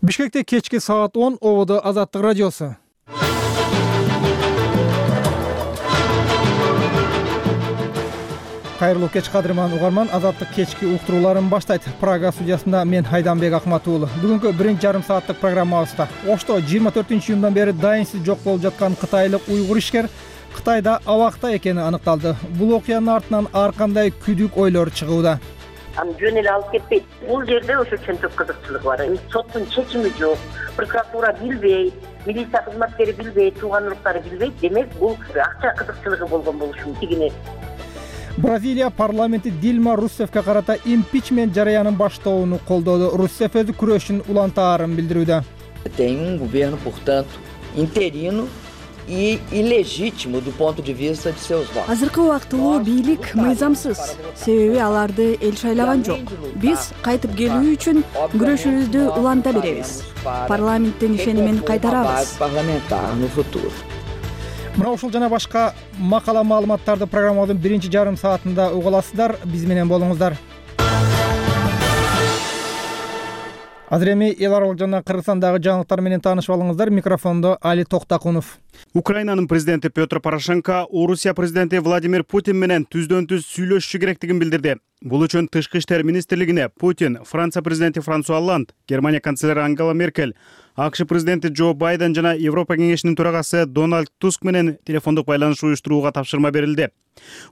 Бишкекте кечки саат 10 ободо Азаттык радиосу. Кайрылуу кеч кадырман угарман, Азаттык кечки уктурууларын баштайт. Прага студиясында мен Айданбек Акмат уулу. Бүгүнкү 1,5 сааттык программабызда Ошто 24-июндан бери дайынсыз жок болуп жаткан кытайлык уйгур ишкер Кытайда абакта экени аныкталды. Бул окуянын артынан ар кандай күдүк ойлор чыгууда. Жөн эле алып кетпейт. Бул жерде ошончолук кызыкчылык бар. Соттун чечими жок, прокуратура билбейт, милиция кызматкери билбейт, тууган уруктары билбейт. Демек, бул акча кызыкчылыгы болгон болушу мүмкүн. Бразилия парламенти Дилма Руссефке карата импичмент жараянын баштоону колдоду. Руссеф өзү күрөшүн улантаарын билдирүүдө. Tem governo, portanto, interino e ilegítimo do ponto de vista de seus votos. Азыркы убактылуу бийлик мыйзамсыз, себеби аларды эл шайлаган жок. Биз кайтып келүү үчүн күрөшүбүздү уланта беребиз. Парламенттин ишенимин кайтарабыз. Parlamentar no futuro. Мына ушул жана башка макала маалыматтарды программабыздын 1,5 саатында уга аласыздар. Биз менен болуңуздар. Азыр эми эл аралык жана Кыргызстандагы жаңылыктар менен таанышып алыңыздар. Микрофондо Али Токтакунов. Украинанын президенти Петр Порошенко Орусия президенти Владимир Путин менен түздөн-түз сүйлөшүшү керектигин билдирди. Бул үчүн Тышкы иштер министрлигине Путин, Франция президенти Франсуа Олланд, Германия канцлери Ангела Меркель, АКШ президенти Джо Байден жана Европа кеңешинин төрагасы Дональд Туск менен телефондук байланыш уюштурууга тапшырма берилди.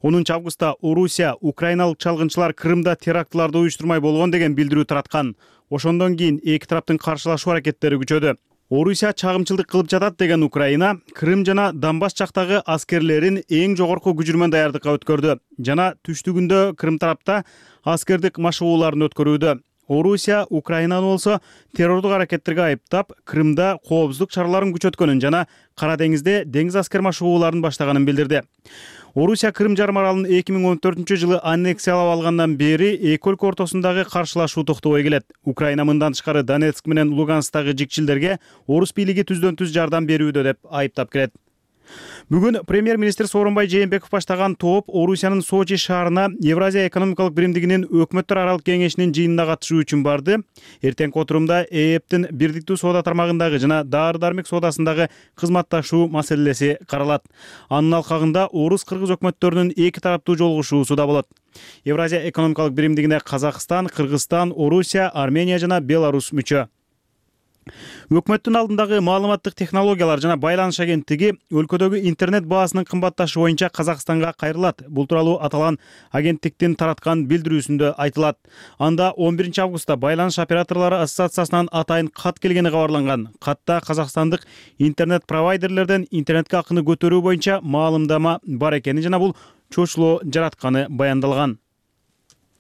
10-августта Орусия украиналык чалгынчылар Крымда терактыларды уюштурмай болгон деген билдирүү тараткан. Ошондон кийин эки тараптын каршылашуу аракеттери күчөдү. Орусия чагымчылдык кылып жатат деген Украина Крым жана Донбасс жактагы аскерлерин эң жогорку күчүрмөн даярдыкка өткөрдү жана түштүгүндө Крым тарапта аскердик машыгууларын өткөрүүдө. Орусия Украинаны болсо террордук аракеттерге айыптап, Крымда коопсуздук чараларын күчөткөнүн жана Кара деңизде деңиз аскер машыгууларын баштаганын билдирди. Орусия Крым жарым аралын 2014-жылы аннексиялап алгандан бери эки өлкө ортосундагы каршылашуу токтобой келет. Украина мындан тышкары Донецк менен Луганскдагы жикчилдерге орус бийлиги түздөн-түз жардам берүүдө деп айыптап келет. Бүгүн премьер-министр Сооронбай Жээнбеков баштаган топ Орусиянын Сочи шаарына Евразия экономикалык биримдигинин өкмөттөр аралык кеңешинин жыйынына катышуу үчүн барды. Эртеңки отурумда ЭЭПтин бирдиктүү соода тармагындагы жана дары-дармек соодасындагы кызматташуу маселеси каралат. Анын алкагында орус-кыргыз өкмөттөрүнүн эки тараптуу жолугушуусу да болот. Евразия экономикалык биримдигине Казакстан, Кыргызстан, Орусия, Армения жана Беларусь мүчө. Өкмөттүн алдындагы маалыматтык технологиялар жана байланыш агенттиги өлкөдөгү интернет баасынын кымбатташы боюнча Казакстанга кайрылат. Бул тууралуу аталган агенттиктин тараткан билдирүүсүндө айтылат. Анда 11-августта байланыш операторлору ассоциациясынан атайын кат келгени кабарланган. Катта казакстандык интернет провайдерлерден интернетке акыны көтөрүү боюнча маалымдама бар экени жана бул чочулоо жаратканы баяндалган.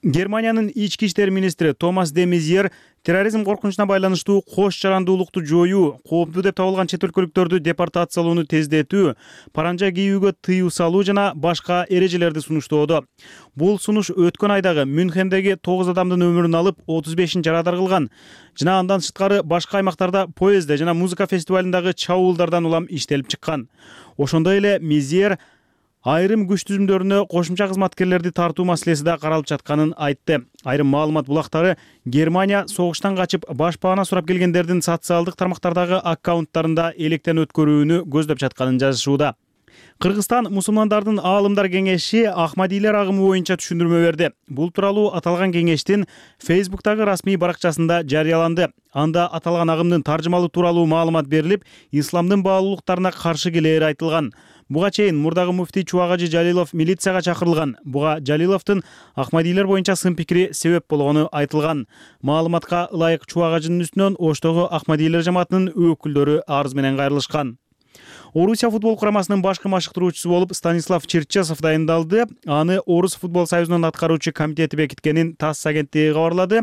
Германиянын ички иштер министри Томас де Мезьер терроризм коркунучуна байланыштуу кош жарандуулукту жоюу, кооптуу деп табылган чет өлкөлүктөрдү депортациялоону тездетүү, паранжа кийүүгө тыюу салуу жана башка эрежелерди сунуштоодо. Бул сунуш өткөн айдагы Мюнхендеги 9 адамдын өмүрүн алып, 35-ин жарадар кылган. Жана андан сырткары башка аймактарда поездде жана музыка фестивалындагы чабуулдардан улам иштелип чыккан. Ошондой эле Мезьер айрым күч түзүмдөрүнө кошумча кызматкерлерди тартуу маселеси да каралып жатканын айтты. Айрым маалымат булактары Германия согуштан качып баш баана сурап келгендердин социалдык тармактардагы аккаунттарында электен өткөрүүнү көздөп жатканын жазышууда. Кыргызстан мусулмандардын аалымдар кеңеши Ахмадилер агымы боюнча түшүндүрмө берди. Бул тууралуу аталган кеңештин Facebook'тагы расмий баракчасында жарыяланды. Анда аталган агымдын таржымалуу тууралуу маалымат берилип, исламдын баалуулуктарына каршы келери айтылган. Буга чейин мурдагы муфтий Чубагажы Жалилов милицияга чакырылган. Буга Жалиловдун Ахмадилер боюнча сын пикири себеп болгону айтылган. Маалыматка ылайык Чубагажынын үстүнөн Оштогу Ахмадилер жамаатынын өкүлдөрү арыз менен кайрылышкан. Орусия футбол курамасынын башкы машыктыруучусу болуп Станислав Черчесов дайындалды. Аны Орус футбол союзунун аткаруучу комитети бекиткенин ТАСС агенттиги кабарлады.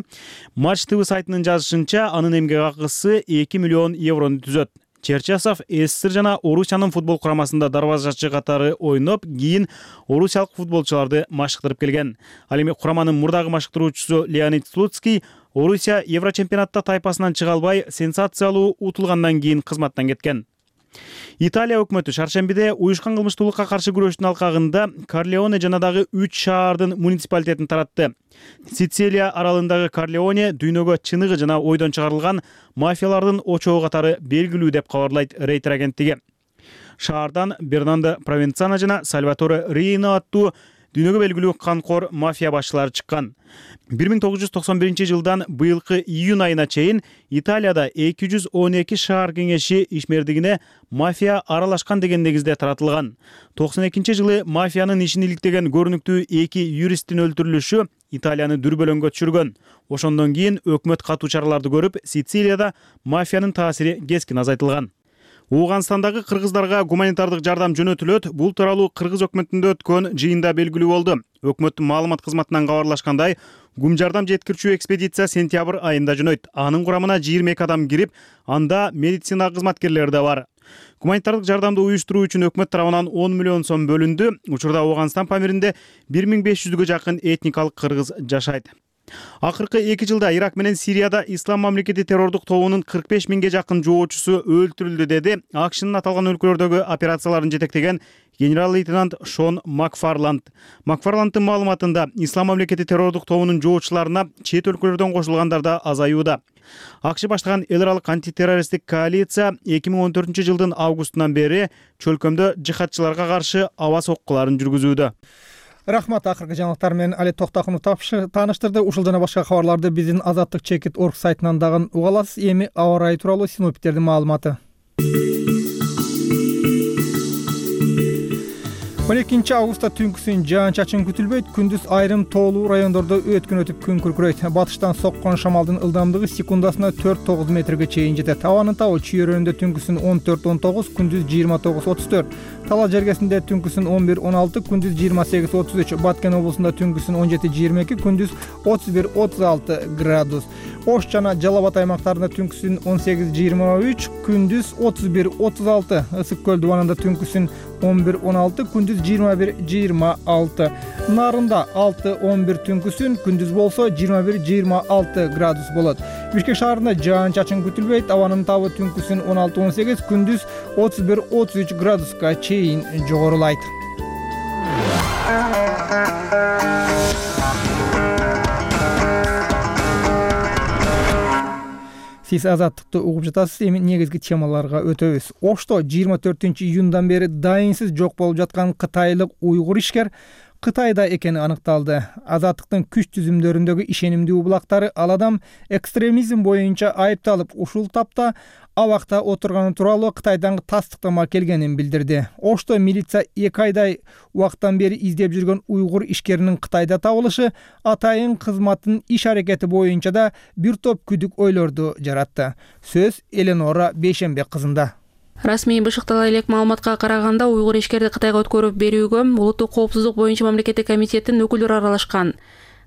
Матч ТВ сайтынын жазышынча, анын эмгек акысы 2 миллион еврону түзөт. Черчесов СССР жана Орусиянын футбол курамасында дарбазачы катары ойноп, кийин орусиялык футболчуларды машыктырып келген. Ал эми кураманын мурдагы машыктыруучусу Леонид Слуцкий Орусия Еврочемпионатта тайпасынан чыга албай, сенсациялуу утулгандан кийин кызматтан кеткен. Италия өкмөтү шаршембиде уюшкан кылмыштуулукка каршы күрөштүн алкагында Корлеоне жана дагы 3 шаардын муниципалитетин таратты. Сицилия аралындагы Корлеоне дүйнөгө чыныгы жана ойдон чыгарылган мафиялардын очогу катары белгилүү деп кабарлайт Рейтер агенттиги. Шаардан Бернандо Провенцано жана Сальваторе Рино аттуу дүйнөгө белгилүү канкор мафия башчылары чыккан. 1991 жылдан быйылкы июнь айына чейин Италияда 212 шаар кеңеши ишмердигине мафия аралашкан деген негизде таратылган. 92 жылы мафиянын ишин иликтеген көрүнүктүү 2 юристтин өлтүрүлүшү Италияны дүрбөлөңгө түшүргөн. Ошондон кийин өкмөт катуу чараларды көрүп, Сицилияда мафиянын таасири кескин азайтылган. Ооганстандагы кыргыздарга гуманитардык жардам жөнөтүлөт. Бул тууралуу кыргыз өкмөтүндө өткөн жыйында белгилүү болду. Өкмөттүн маалымат кызматынан кабарлашкандай, гум жардам жеткирүүчү экспедиция сентябрь айында жөнөйт. Анын курамына 22 адам кирип, анда медицина кызматкерлери да бар. Гуманитардык жардамды уюштуруу үчүн өкмөт тарабынан 10 миллион сом бөлүндү. Учурда Ооганстан Памиринде 1500гө жакын этникалык кыргыз жашайт. Акыркы 2 жылда Ирак менен Сирияда Ислам мамлекети террордук тобунун 45 миңге жакын жоочусу өлтүрүлдү, деди АКШнын аталган өлкөлөрдөгү операцияларын жетектеген генерал-лейтенант Шон Макфарланд. Макфарланддын маалыматында Ислам мамлекети террордук тобунун жоочуларына чет өлкөлөрдөн кошулгандар да азаюуда. АКШ баштаган эл аралык антитеррористтик коалиция 2014 жылдын августунан бери чөлкөмдө жихадчыларга каршы аба соккуларын жүргүзүүдө. Рахмат, акыркы жаңылыктар менен Алет Токтакунов тааныштырды. Ушул жана башка кабарларды биздин azatlyk.org сайтынан дагы уга аласыз. Эми аба ырайы тууралуу синоптиктердин маалыматы. 12 августта түнкүсүн жаан-чачын күтүлбөйт. Күндүз айрым тоолуу райондордо өткөн күн күркүрөйт. Батыштан соккон шамалдын ылдамдыгы секундасына 4-9 метрге чейин жетет. Абанын табы чүйөрөндө түнкүсүн 14-19, күндүз 29-34. Талас жергесинде түнкүсүн 11-16, күндүз 28-33. Баткен облусунда түнкүсүн 17-22, күндүз 31-36 градус. Ош жана Жалал Абад аймактарында түнкүсүн 18-23, күндүз 31-36. Ысык көл дубанында түнкүсүн 11-16, күндүз 21-26. Нарында 6-11 түнкүсүн, күндүз болсо 21-26 градус болот. Бишкек шаарында жаан-чачын күтүлбөйт. Абанын табы түнкүсүн 16-18, күндүз 31-33 градуска чейин жогорулайт. Сиз азаттыкты угуп жатасыз. Эми негизги темаларга өтөбүз. Ошто 24-июндан бери дайынсыз жок болуп жаткан кытайлык уйгур ишкер Кытайда экени аныкталды. Азаттыктын күч түзүмдөрүндөгү ишенимдүү булактары ал адам экстремизм боюнча айыпталып, ушул тапта абакта отурганы тууралуу Кытайдан тастыктама келгенин билдирди. Ошто милиция 2 айдай убакыттан бери издеп жүргөн уйгур ишкеринин Кытайда табылышы атайын кызматтын иш аракети боюнча да бир топ күдүк ойлорду жаратты. Сөз Эленора Бейшембек кызында. Расмий бышыктала элек маалыматка караганда, уйгур ишкерди Кытайга өткөрүп берүүгө улуттук коопсуздук боюнча мамлекеттик комитеттин өкүлдөрү аралашкан.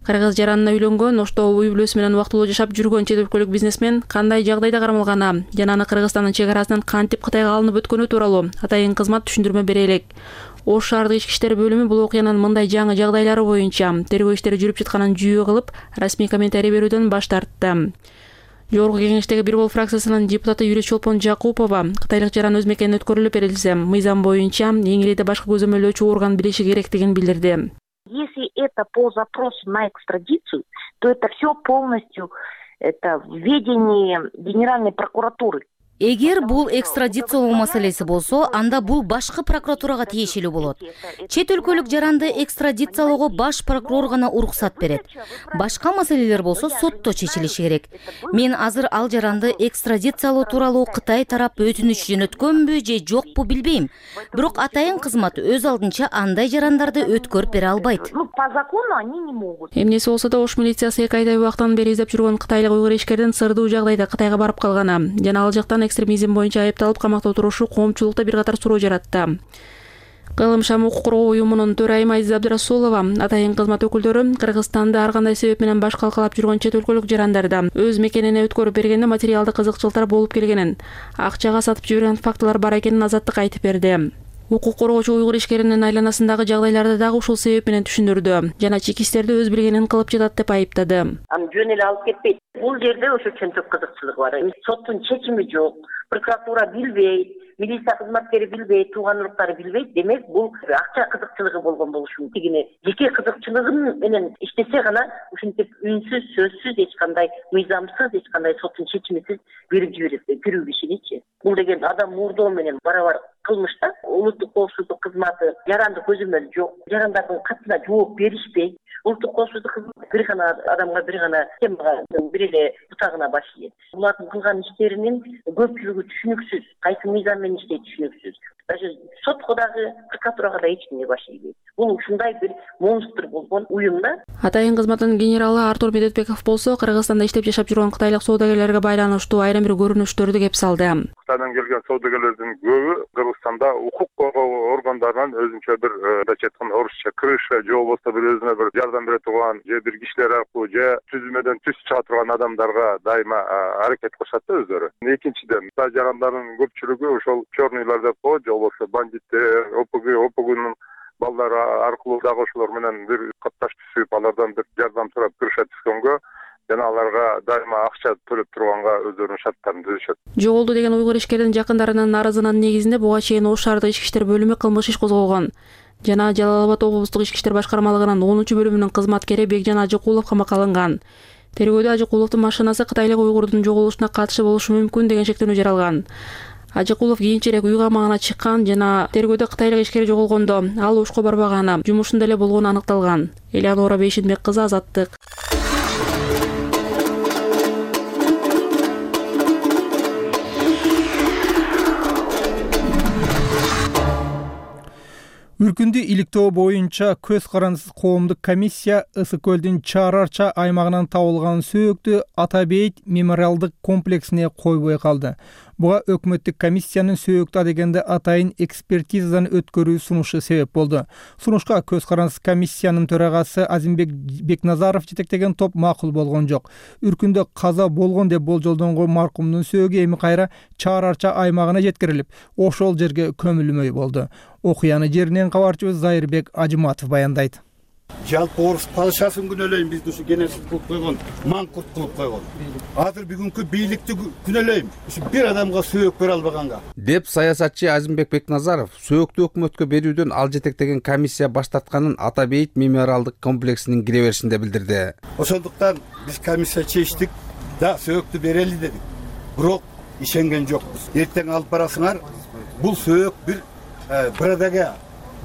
Кыргыз жаранына үйлөнгөн, ошто үй бүлөсү менен убактылуу жашап жүргөн чет өлкөлүк бизнесмен кандай жагдайда кармалганы жана аны Кыргызстандын чек арасынан кантип Кытайга алынып өткөнү тууралуу атайын кызмат түшүндүрмө бере элек. Ош шаардык ички иштер бөлүмү бул окуянын мындай жаңы жагдайлары боюнча тергөө иштери жүрүп жатканын жүйө кылып, расмий комментарий берүүдөн баш тартты. Жогорку кеңештеги Бир Бол фракциясынын депутаты Юрий Чолпон Жакупова кытайлык жаран өз мекенине өткөрүлүп берилсе, мыйзам боюнча эң эле башкы көзөмөлдөөчү орган билиши керектигин билдирди. Если это по запросу на экстрадицию, то это все полностью в ведении Генеральной прокуратуры. Эгер бул экстрадициялоо маселеси болсо, анда бул башкы прокуратурага тиешелүү болот. Чет өлкөлүк жаранды экстрадициялоого баш прокурор гана уруксат берет. Башка маселелер болсо сотто чечилиши керек. Мен азыр ал жаранды экстрадициялоо тууралуу Кытай тарап өтүнүч жөнөткөнбү же жокпу билбейм. Бирок атайын кызмат өз алдынча андай жарандарды өткөрүп бере албайт. По закону они не могут. Эмнеси болсо да Ош милициясы 2 айдай убактан бери издеп жүргөн кытайлык уйгур ишкердин сырдуу жагдайда Кытайга барып калганы жана ал жактан экстремизм боюнча айыпталып камакта отурушу коомчулукта бир катар суроо жаратты. Кылым Шам укук коргоо уюмунун төрайымы Азиза Абдырасулова атайын кызмат өкүлдөрү Кыргызстанда ар кандай себеп менен баш калкалап жүргөн чет өлкөлүк жарандарды өз мекенине өткөрүп бергенде материалдык кызыкчылыктар болуп келгенин, акчага сатып жиберген фактылар бар экенин Азаттык айтып берди. Укук коргоочу уйгур ишкеринин айланасындагы жагдайларды дагы ушул себеп менен түшүндүрдү жана чек иштерди өз билгенин кылып жатат деп айыптады. Жөн эле алып кетпейт. Бул жерде ошо чөнтөк кызыкчылык бар. Соттун чечими жок, прокуратура билбейт, милиция кызматкери билбейт, тууган уруктары билбейт, демек бул акча кызыкчылыгы болгон болушу мүмкүн. Тигини жеке кызыкчылыгын менен иштесе гана ушинтип үнсүз, сөзсүз, эч кандай мыйзамсыз, эч кандай соттун чечимисиз берип жиберет бирүү кишиничи. Бул деген адам мурдоо менен барабар кылмыш да. Улуттук коопсуздук кызматы жаранды көзөмөл жок, жарандардын катына жооп беришпейт. Улуттук коопсуздук кызматы бир гана адамга, бир гана темага, бир эле бутагына баш ийет. Булардын кылган иштеринин көпчүлүгү түшүнүксүз, кайсы мыйзам менен иштейт түшүнүксүз. Даже сотко дагы, прокуратурага да эч кимге баш ийбейт. Бул ушундай бир монстр болгон уюм да. Атайын кызматтын генералы Артур Медетбеков болсо Кыргызстанда иштеп жашап жүргөн кытайлык соодагерлерге байланыштуу айрым бир көрүнүштөрдү кеп салды. Кытайдан келген соодагерлердин көбү Кыргызстанда укук коргоо органдарынан өзүнчө бир айтканда орусча крыша же болбосо бир өзүнө бир жардам бере турган же бир кишилер аркылуу же түзүмөдөн түз чыга турган адамдарга дайыма аракет кылышат да өздөрү. Экинчиден, жарандардын көпчүлүгү ошол черныйлар деп коет, же болбосо бандиттер, ОПГнун балдары аркылуу дагы ошолор менен бир катташ түзүп, алардан бир жардам сурап крыша түзгөнгө жана аларга дайыма акча төлөп турганга өздөрүнүн шарттарын түзүшөт. Жоголду деген уйгур ишкердин жакындарынын арызынын негизинде буга чейин Ош шаардык ички иштер бөлүмү кылмыш иш козголгон жана Жалал Абад облустук ички иштер башкармалыгынын 10-бөлүмүнүн кызматкери Бекжан Ажыкулов камакка алынган. Тергөөдө Ажыкуловдун машинасы кытайлык уйгурдун жоголушуна катышы болушу мүмкүн деген шектенүү жаралган. Ажыкулов кийинчерээк үй камагына чыккан жана тергөөдө кытайлык ишкер жоголгондо ал Ошко барбаганы, жумушунда эле болгону аныкталган. Элеонора Бейшенбек кызы, Азаттык. Үркүндү иликтөө боюнча көз карандысыз коомдук комиссия Ысык көлдүн Чаар Арча аймагынан табылган сөөктү Ата Бейит мемориалдык комплексине койбой калды. Буга өкмөттүк комиссиянын сөөктү дегенде атайын экспертизадан өткөрүү сунушу себеп болду. Сунушка көз карандысыз комиссиянын төрагасы Азимбек Бекназаров жетектеген топ макул болгон жок. Үркүндө каза болгон деп болжолдонгон маркумдун сөөгү эми кайра Чаар Арча аймагына жеткирилип, ошол жерге көмүлмөй болду. Окуяны жеринен кабарчыбыз Зайырбек Ажыматов баяндайт. Жалпы орус падышасын күнөөлөйм, бизди ушу генерсиз кылып койгон, маңкурт кылып койгон. Азыр бүгүнкү бийликти күнөөлөйм, ушу бир адамга сөөк бере албаганга. Деп саясатчы Азимбек Бекназаров сөөктү өкмөткө берүүдөн ал жетектеген комиссия баш тартканын Ата Бейит мемориалдык комплексинин кире беришинде билдирди. Ошондуктан биз комиссия чечтик да сөөктү берели дедик. Бирок ишенген жокпуз. Эртең алып барасыңар, бул сөөк бир Брадага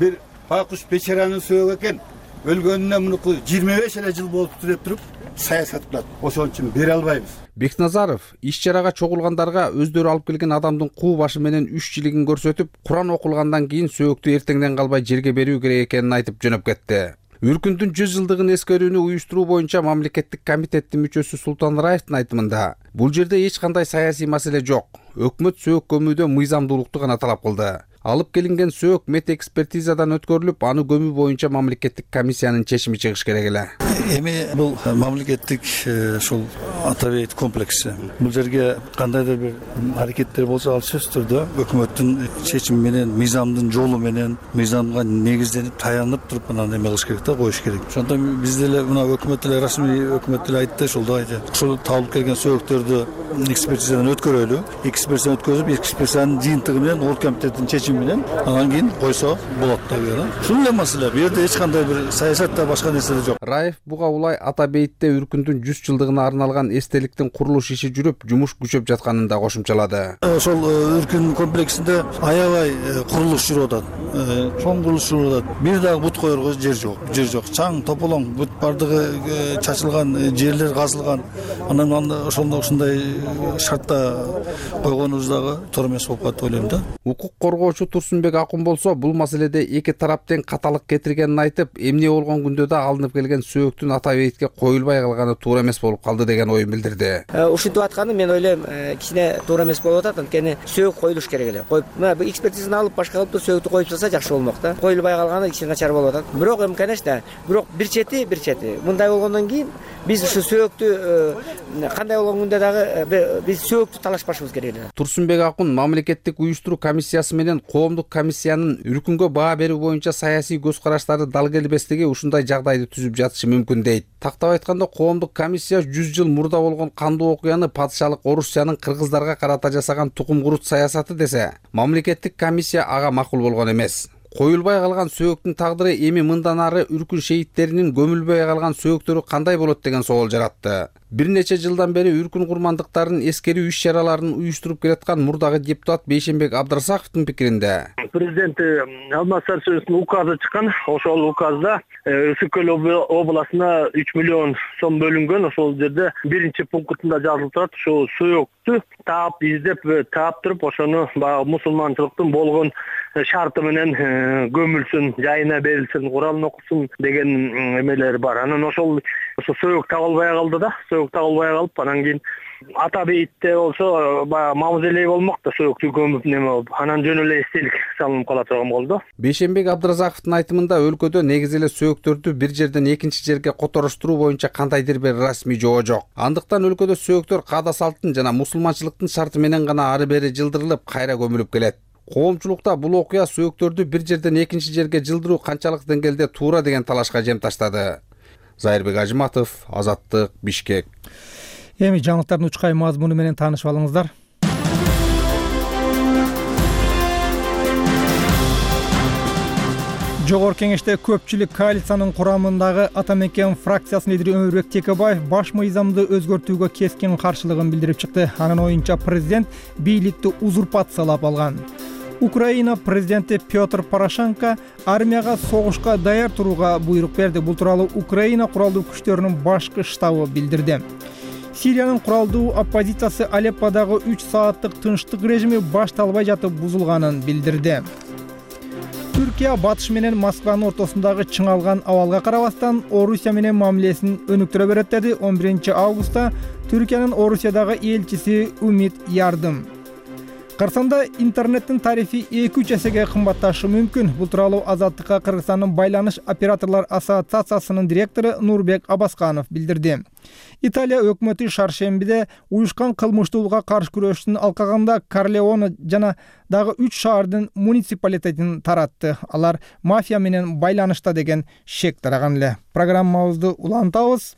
бир Бакуш Печеранын сөөгү экен. Өлгөнүнө мунуку 25 эле жыл болуп деп туруп саясат кылат. Ошон үчүн бере албайбыз. Бекназаров иш-чарага чогулгандарга өздөрү алып келген адамдын куу башы менен 3 жилигин көрсөтүп, Куран окулгандан кийин сөөктү эртеңден калбай жерге берүү керек экенин айтып жөнөп кетти. Үркүндүн 100 жылдыгын эскерүүнү уюштуруу боюнча мамлекеттик комитеттин мүчөсү Султан Раевдин айтымында, бул жерде эч кандай саясий маселе жок. Өкмөт сөөк көмүүдө мыйзамдуулукту гана талап кылды. Алып келинген сөөк мет экспертизадан өткөрүлүп, аны көмүү боюнча мамлекеттик комиссиянын чечими чыгыш керек эле. Эми бул мамлекеттик ушул Ата Бейит комплекси. Бул жерге кандайдыр бир аракеттер болсо, ал сөзсүз түрдө өкмөттүн чечими менен, мыйзамдын жолу менен, мыйзамга негизденип, таянып туруп анан эме кылыш керек да, коюш керек. Ошондон биз деле мына өкмөт деле расмий өкмөт деле айтты, ошолдо айтты. Ушул табылып келген сөөктөрдү экспертизадан өткөрөлү. Экспертизадан өткөрүп, экспертизанын жыйынтыгы менен Оор комитеттин чечими менен анан кийин койсо болот да бuyera. Ушул эле маселе. Бу жерде эч кандай бир саясатта башка нерсе жок. Раев буга улай Ата Бейтте Үркүндүн 100 жылдыгына арналган эстеликтин курулуш иши жүрүп, жумуш күчөп жатканын да кошумчалады. Ошол Үркүн комплексинде аябай курулуш жүрүп атат. Чоң курулуш жүрүп атат. Бир дагы бут коерго жер жок. Жер жок. Чаң тополоң бут бардыгы чачылган, жерлер казылган. Анан ошондой шартта койгонубуз дагы туура эмес болуп калат деп ойлойм да. Укук коргоочу Турсунбек Акун болсо, бул маселеде эки тарап тең каталык кетиргенин айтып, эмне болгон күндө да алынып келген сөөктүн Ата Бейтке коюлбай калганы туура эмес болуп калды деген оюн билдирди. Ушинтип атканы мен ойлойм, кичине туура эмес болуп атат, анткени сөөк коюлуш керек эле. Коюп, мына экспертизаны алып башка кылып сөөктү коюп салса жакшы болмок да. Коюлбай калганы кичине начар болуп атат. Бирок конечно, бирок бир чети. Мындай болгондон кийин биз ушу сөөгүттү кандай болгон күндө дагы биз сөөгүттү талашпашыбыз керек эле. Турсунбек Акун мамлекеттик уюштуруу комиссиясы менен коомдук комиссиянын үркүнгө баа берүү боюнча саясий көз караштары дал келбестиги ушундай жагдайды түзүп жатышы мүмкүн дейт. Тактап айтканда коомдук комиссия 100 жыл мурда болгон кандуу окуяны падышалык Орусиянын кыргыздарга карата жасаган тукум курут саясаты десе, мамлекеттик комиссия ага макул болгон эмес. Коюлбай калган сөөгүттүн тагдыры эми мындан ары үркүн шейиттеринин көмүлбөй калган сөөгүттөрү кандай болот деген соол жаратты. Бир нече жылдан бери үркүн курмандыктарын эскерүү иш-чараларын уюштуруп келаткан мурдагы депутат Бейшенбек Абдрасаковдун пикиринде, президент Алмаз Сарсеновдун указы чыккан. Ошол указда Үсүк көл областына 3 миллион сом бөлүнгөн. Ошол жерде биринчи пунктунда жазылып турат, ошол сөөгүттү таап издеп таап туруп, ошону баягы мусулманчылыктын болгон шарты менен көмүлсүн, жайына берилсин, Куралын окусун деген эмелер бар. Анан ошол сөөгүт табылбай калды да, сөөгүт табылбай калып, анан кийин ата бейитте болсо баягы мавзолей болмок да, сөөгүттү көмүп неме болуп, анан жөн эле эстелик салынып кала турган болду. Бейшенбек Абдрасаковдун айтымында өлкөдө негизи эле сөөгүттөрдү бир жерден экинчи жерге котороштуруу боюнча кандайдыр бир расмий жоо жок. Андыктан өлкөдө сөөгүттөр каада салттын жана мусулманчылыктын шарты менен гана ары бери жылдырылып, кайра көмүлүп келет. Коомчулукта бул окуя сөөгүттөрдү бир жерден экинчи жерге жылдыруу канчалык деңгээлде туура деген талашка жем таштады. Зайырбек Ажыматов, Азаттык, Бишкек. Эми жаңылыктардын учкай мазмуну менен таанышып алыңыздар. Жогорку кеңеште көпчүлүк коалициянын курамындагы Ата Мекен фракциясынын лидери Өмүрбек Текебаев баш мыйзамды өзгөртүүгө кескин каршылыгын билдирип чыкты. Анын оюнча президент бийликти узурпациялап алган. Украина президенти Петр Порошенко армияга согушка даяр турууга буйрук берди. Бул тууралуу Украина куралдуу күчтөрүнүн башкы штабы билдирди. Сириянын куралдуу оппозициясы Алепподагы 3 сааттык тынчтык режими башталбай жатып бузулганын билдирди. Түркия батыш менен Москванын ортосундагы чыңалган абалга карабастан Орусия менен мамилесин өнүктүрө берет деди 11 августта Түркиянын Орусиядагы элчиси Умит Ярдым. Кыргызстанда интернеттин тарифи 2-3 эсеге кымбатташы мүмкүн. Бул тууралуу Азаттыкка Кыргызстандын байланыш операторлор ассоциациясынын директору Нурбек Абасканов билдирди. Италия өкмөтү шаршембиде уюшкан кылмыштуулукка каршы күрөштүн алкагында Корлеоне жана дагы 3 шаардын муниципалитетин таратты. Алар мафия менен байланышта деген шек тараган эле. Программабызды улантабыз.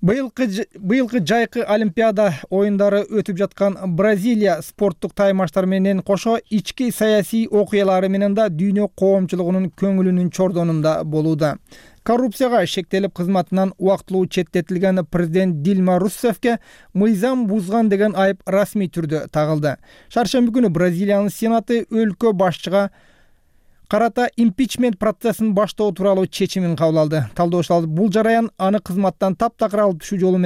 Быйылкы жайкы Олимпиада оюндары өтүп жаткан Бразилия спорттук таймаштар менен кошо ички саясий окуялары менен да дүйнө коомчулугунун көңүлүнүн чордонунда болууда. Коррупцияга шектелип кызматынан убактылуу четтетилген президент Дилма Руссефке мыйзам бузган деген айып расмий түрдө тагылды. Шаршемби күнү Бразилиянын сенаты өлкө башчыга карата импичмент процессин баштоо тууралуу чечимин кабыл алды. Талдоочулар бул жараян аны кызматтан таптакыр алып түшүү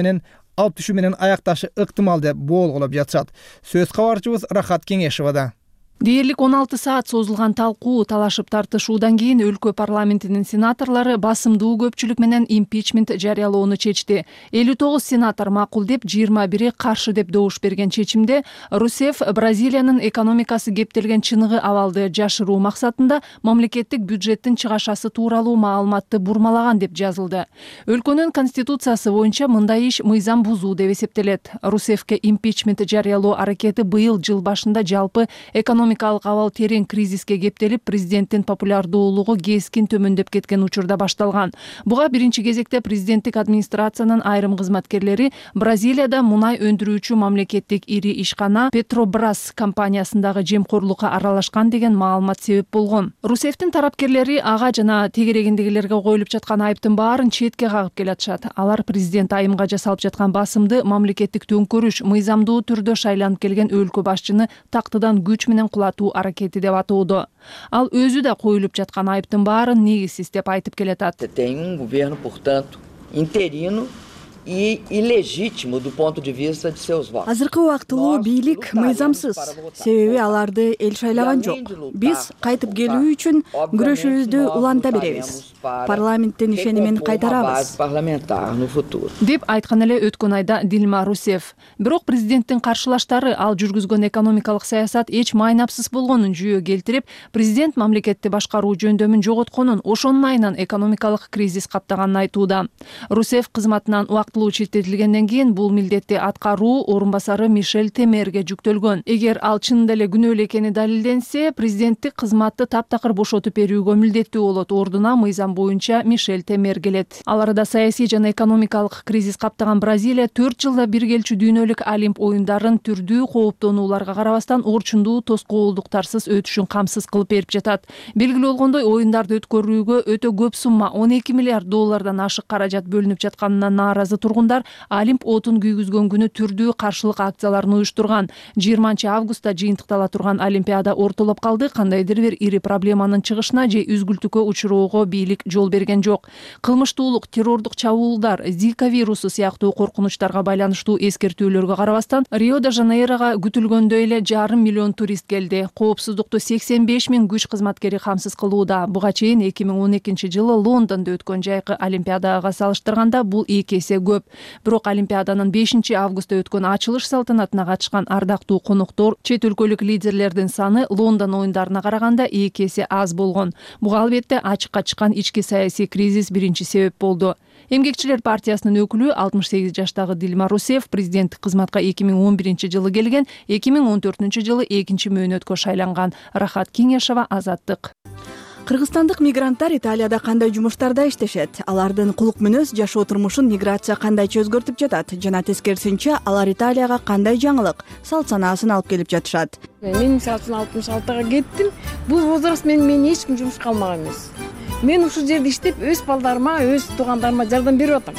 менен аякташы ыктымал деп болгулоп жатышат. Сөз кабарчыбыз Рахат Кеңешевада. Дээрлик 16 саат созулган талкуу, талашып тартышуудан кийин өлкө парламентинин сенаторлору басымдуу көпчүлүк менен импичмент жарыялоону чечти. 59 сенатор макул деп, 21 каршы деп добуш берген чечимде Русеф Бразилиянын экономикасы кептелген чыныгы абалды жашыруу максатында мамлекеттик бюджеттин чыгашасы тууралуу маалыматты бурмалаган деп жазылды. Өлкөнүн конституциясы боюнча мындай иш мыйзам бузуу деп эсептелет. Русефке импичмент жарыялоо аракети быйыл жыл башында жалпы экономикалык абал терең кризиске кептелип, президенттин популярдуулугу кескин төмөндөп кеткен учурда башталган. Буга биринчи кезекте президенттик администрациянын айрым кызматкерлери Бразилияда мунай өндүрүүчү мамлекеттик ири ишкана Петробрас компаниясындагы жемкорлукка аралашкан деген маалымат себеп болгон. Русефтин тарапкерлери ага жана тегерегиндегилерге коюлуп жаткан айыптын баарын четке кагып келатышат. Алар президент айымга жасалып жаткан басымды мамлекеттик төңкөрүш, мыйзамдуу түрдө шайланып келген өлкө башчыны тактыдан күч менен кулатуу аракети деп атоодо. Ал өзү да коюлуп жаткан айыптын баарын негизсиз деп айтып келатат. Tem governo, portanto, interino e ilegítimo do ponto de vista de seus votos. Азыркы убактылуу бийлик мыйзамсыз, себеби аларды эл шайлаган жок. Биз кайтып келүү үчүн күрөшүбүздү уланта беребиз. Парламенттин ишенимин кайтарабыз деп айткан эле өткөн айда Дилма Русев. Бирок президенттин каршылаштары ал жүргүзгөн экономикалык саясат эч майнапсыз болгонун жүйө келтирип, президент мамлекетти башкаруу жөндөмүн жоготконун, ошонун айынан экономикалык кризис каптаганын айтууда. Русев кызматынан убактылуу четтетилгенден кийин бул милдетти аткаруу орун басары Мишель Темерге жүктөлгөн. Эгер ал чынында эле күнөөлүү экени далилденсе, президенттик кызматты таптакыр бошотуп берүүгө милдеттүү болот. Ордуна мыйзам боюнча Мишель Темер келет. Ал арада саясий жана экономикалык кризис каптаган Бразилия 4 жылда бир келчү дүйнөлүк Олимп оюндарын түрдүү кооптонууларга карабастан орчундуу тоскоолдуктарсыз өтүшүн камсыз кылып берип жатат. Белгилүү болгондой, оюндарды өткөрүүгө өтө көп сумма, $12 миллиард ашык каражат бөлүнүп жатканына нааразы тургундар Олимп отун күйгүзгөн күнү түрдүү каршылык акцияларын уюштурган. 20-августта жыйынтыктала турган Олимпиада ортолоп калды. Кандайдыр бир ири проблеманын чыгышына же үзгүлтүккө учуроого бийлик жол берген жок. Кылмыштуулук, террордук чабуулдар, Зика вирусу сыяктуу коркунучтарга байланыштуу эскертүүлөргө карабастан Рио-де-Жанейрого күтүлгөндөй эле 500 000 турист келди. Коопсуздукту 85 000 күч кызматкери камсыз кылууда. Буга чейин 2012-жылы Лондондо өткөн жайкы Олимпиадага салыштырганда бул 2 эсе көп. Бирок Олимпиаданын 5-августта өткөн ачылыш салтанатына катышкан ардактуу коноктор, чет өлкөлүк лидерлердин саны Лондон оюндарына караганда 2 эсе аз болгон. Буга албетте ачыкка чыккан ички саясий кризис биринчи себеп болду. Эмгекчилер партиясынын өкүлү 68 жаштагы Дилма Русев президенттик кызматка 2011-жылы келген, 2014-жылы 2 мөөнөткө шайланган. Рахат Кеңешова, Азаттык. Кыргызстандык мигранттар Италияда кандай жумуштарда иштешет? Алардын кулук мүнөз, жашоо турмушун миграция кандайча өзгөртүп жатат? Жана тескерисинче алар Италияга кандай жаңылык, салт санаасын алып келип жатышат? Мен мисалы үчүн 66-га кеттим. Бул возраст мени эч ким жумушка алмаган эмес. Мен ушул жерде иштеп, өз балдарыма, өз туугандарыма жардам берип атам.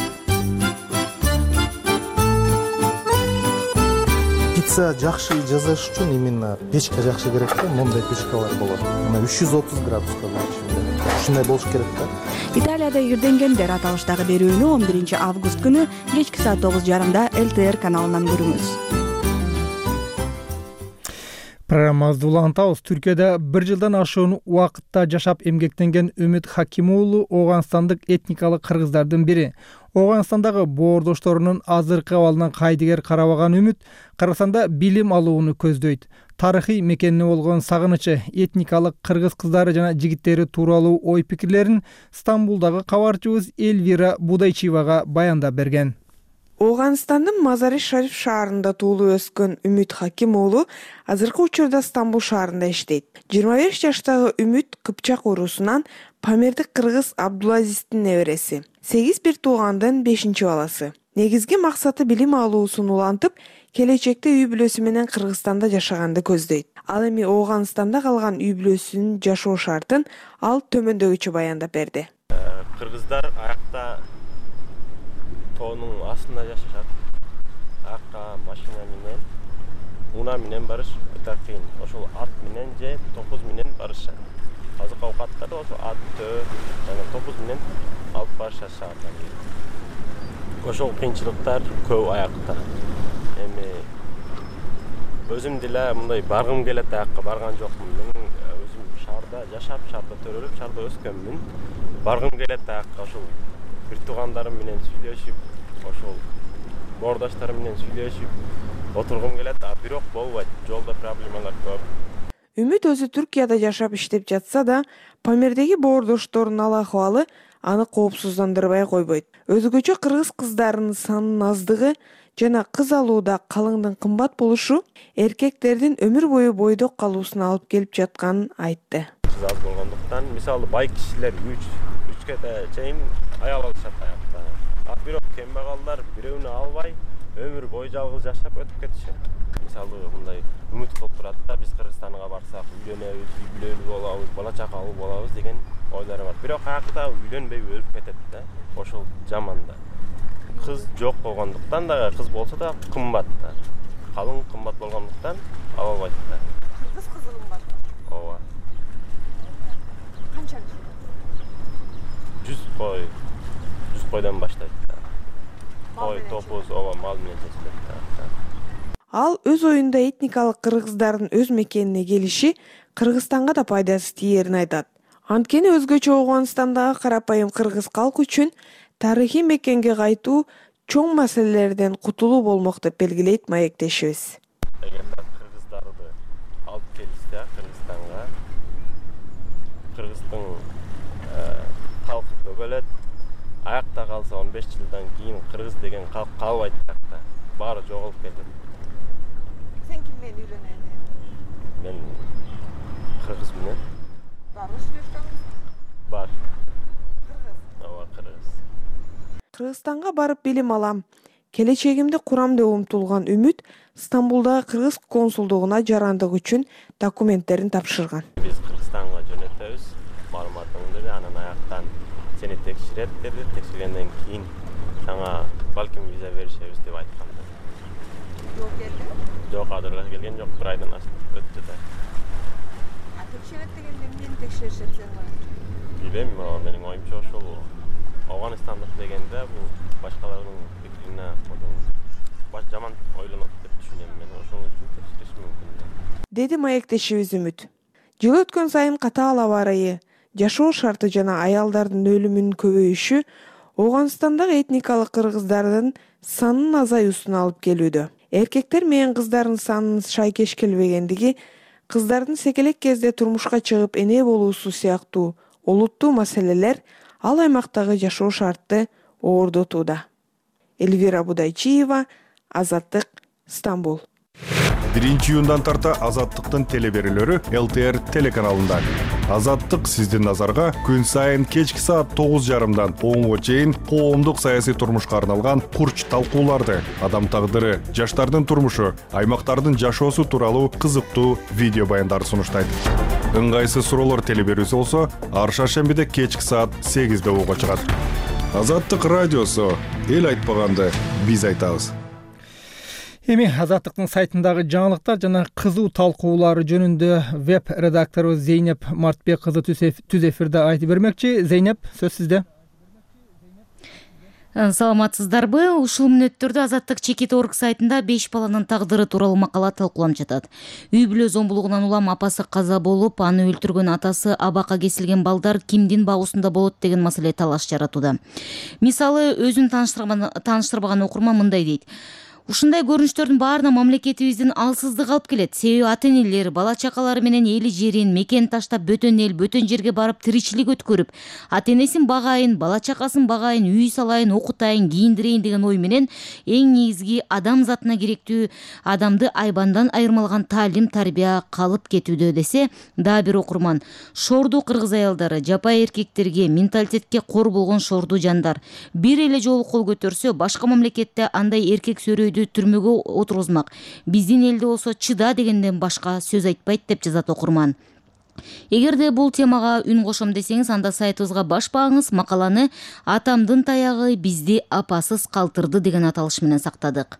Пицца жакшы жасаш үчүн именно печка жакшы керек да, мондай печкалар болот. Мына 330 градуска болот. Ушундай болуш керек да. Италияда ирденгендер аталыштагы берүүнү 11 август күнү кечки саат 9:30 ЛТР каналынан көрүңүз. Программабызды улантабыз. Түркияда 1 жылдан ашуун убакытта жашап эмгектенген Үмүт Хаким уулу Ооганстандык этникалык кыргыздардын бири. Ооганстандагы боордошторунун азыркы абалынан кайдыгер карабаган Үмүт Кыргызстанда билим алууну көздөйт. Тарыхый мекенине болгон сагынычы, этникалык кыргыз кыздары жана жигиттери тууралуу ой пикирлерин Стамбулдагы кабарчыбыз Эльвира Будайчиевага баяндап берген. Ооганстандын Мазари-Шариф шаарында туулуп өскөн Үмүт Хаким уулу азыркы учурда Стамбул шаарында иштейт. 25 жаштагы Үмүт Кыпчак уруусунан Памирдик кыргыз Абдулазиздин небереси. 8 бир туугандын 5-баласы. Негизги максаты билим алуусун улантып, келечекте үй бүлөсү менен Кыргызстанда жашаганды көздөйт. Ал эми Ооганстанда калган үй бүлөсүнүн жашоо шартын ал төмөндөгүчө баяндап берди. Кыргыздар аякта тоонун астында жашашат. Аякка машина менен, унаа менен барыш өтө кыйын. Ошол ат менен же топуз менен барышат. Азык оокаттарды ошо атты жана топуз менен алып барышат шаардан. Ошол кыйынчылыктар көп аякта. Эми өзүм деле мындай баргым келет, аякка барган жокмун. Мен өзүм шаарда жашап, шаарда төрөлүп, шаарда өскөнмүн. Баргым келет аякка, ошол бир туугандарым менен сүйлөшүп, ошол боордоштарым менен сүйлөшүп отургум келет, а бирок болбойт. Жолдо проблемалар көп. Үмүт өзү Түркияда жашап иштеп жатса да, Памирдеги боордошторунун ал акыбалы аны коопсуздандырбай койбойт. Өзгөчө кыргыз кыздарынын санынын аздыгы жана кыз алууда калыңдын кымбат болушу эркектердин өмүр бою бойдок калуусуна алып келип жатканын айтты. Кыз аз болгондуктан, мисалы бай кишилер 3-кө чейин аял алышат аякта. А бирок кембагалдар бирөөнү албай, өмүр бою жалгыз жашап өтүп кетишет. Мисалы мындай үмүт кылып турат да, биз Кыргызстанга барсак үйлөнөбүз, үй бүлөлүү болобуз, бала чакалуу болобуз деген ойлор бар. Бирок аякта үйлөнбөй өлүп кетет да. Ошол жаман да. Кыз жок болгондуктан да, кыз болсо да кымбат да. Калың кымбат болгондуктан ала албайт да. Кыргыз кызы кымбат. Ооба. Канча? 100 койдон баштайт да. Мал топуз ооба мал менен чечилет. Ал өз оюнда этникалык кыргыздардын өз мекенине келиши Кыргызстанга да пайдасы тиерин айтат. Анткени өзгөчө Ооганстандагы карапайым кыргыз калк үчүн тарыхый мекенге кайтуу чоң маселелерден кутулуу болмок деп белгилейт маектешибиз. Эгерде кыргыздарды алып келишсе Кыргызстанга, Кыргыздын калкы көбөлөт. Аякта калса 15 жылдан кийин кыргыз деген калк калбайт да. Баары жоголуп кетет. Сен ким менен үйлөнөсүң? Мен кыргыз менен. Барбы сүйлөшкөнүң? Бар. Кыргыз. Ооба, кыргыз. Кыргызстанга барып билим алам. Келечегимди курам деп умтулган Үмүт Стамбулдагы кыргыз консулдугуна жарандык үчүн документтерин тапшырган. Биз Кыргызстанга жөнөтөбүз. Маалыматыңды бер, анан аяктан сени текшерет деди. Текшергенден кийин сага балким виза беришебиз деп айткандар. Жок келди? Жок, азырга келген жок, 1 айдан өттү да. Текшерет дегенде эмнени текшеришет сен? Билем, менин оюмча ошол Ооганстандык дегенде бул башкалардын пикирине жаман ойлонот деп түшүнөм мен. Ошол үчүн текшериш мүмкүн. Деди маектешибиз Үмүт. Жыл өткөн сайын катаал аба ырайы, жашоо шарты жана аялдардын өлүмүнүн көбөйүшү Ооганстандагы этникалык кыргыздардын санынын азаюусуна алып келүүдө. Эркектер менен кыздардын санынын шайкеш келбегендиги, кыздардын секелек кезде турмушка чыгып эне болуусу сыяктуу олуттуу маселелер ал аймактагы жашоо шартты оордотууда. Эльвира Будайчиева, Азаттык, Стамбул. 1-июндан тарта Азаттыктын телеберүүлөрү ЛТР телеканалында. Азаттык сиздин назарга күн сайын кечки саат 9:30дан 10:00 чейин коомдук саясий турмушка арналган курч талкууларды, адам тагдыры, жаштардын турмушу, аймактардын жашоосу тууралуу кызыктуу видео баяндарды сунуштайт. Ыңгайсыз суроолор телеберүүсү болсо, ар шаршембиде кечки саат 8:00 угууга чыгат. Азаттык радиосу, эл айтпаганды биз айтабыз. Эми Азаттыктын сайтындагы жаңылыктар жана кызуу талкуулары жөнүндө веб редактору Зейнеп Мартбек кызы түз эфирде айтып бермекчи. Зейнеп, сөз сизде. Саламатсыздарбы? Ушул мүнөттөрдө Азаттык Чекит.org сайтында 5 баланын тагдыры тууралуу макала талкууланып жатат. Үй бүлө зомбулугунан улам апасы каза болуп, аны өлтүргөн атасы абакка кесилген балдар кимдин багуусунда болот деген маселе талаш жаратууда. Мисалы, өзүн тааныштырбаган окурман мындай дейт. Ушундай көрүнүштөрдүн баарына мамлекетибиздин алсыздыгы алып келет. Себеби ата-энелер бала чакалары менен эли жерин, мекен таштап бөтөн эл, бөтөн жерге барып тиричилик өткөрүп, ата-энесин багайын, бала чакасын багайын, үй салайын, окутайын, кийиндирейин деген ой менен эң негизги адам затына керектүү адамды айбандан айырмалган таалим, тарбия калып кетүүдө десе, дагы бир окурман. Шорду кыргыз аялдары, жапай эркектерге, менталитетке кор болгон шорду жандар. Бир эле жолу кол көтөрсө, башка мамлекетте андай эркек сөрөйдү түрмөгө отургузмак. Биздин элде болсо чыда дегенден башка сөз айтпайт деп жазат окурман. Эгерде бул темага үн кошом десеңиз, анда сайтыбызга баш багыңыз. Макаланы "Атамдын таягы бизди апасыз калтырды" деген аталыш менен сактадык.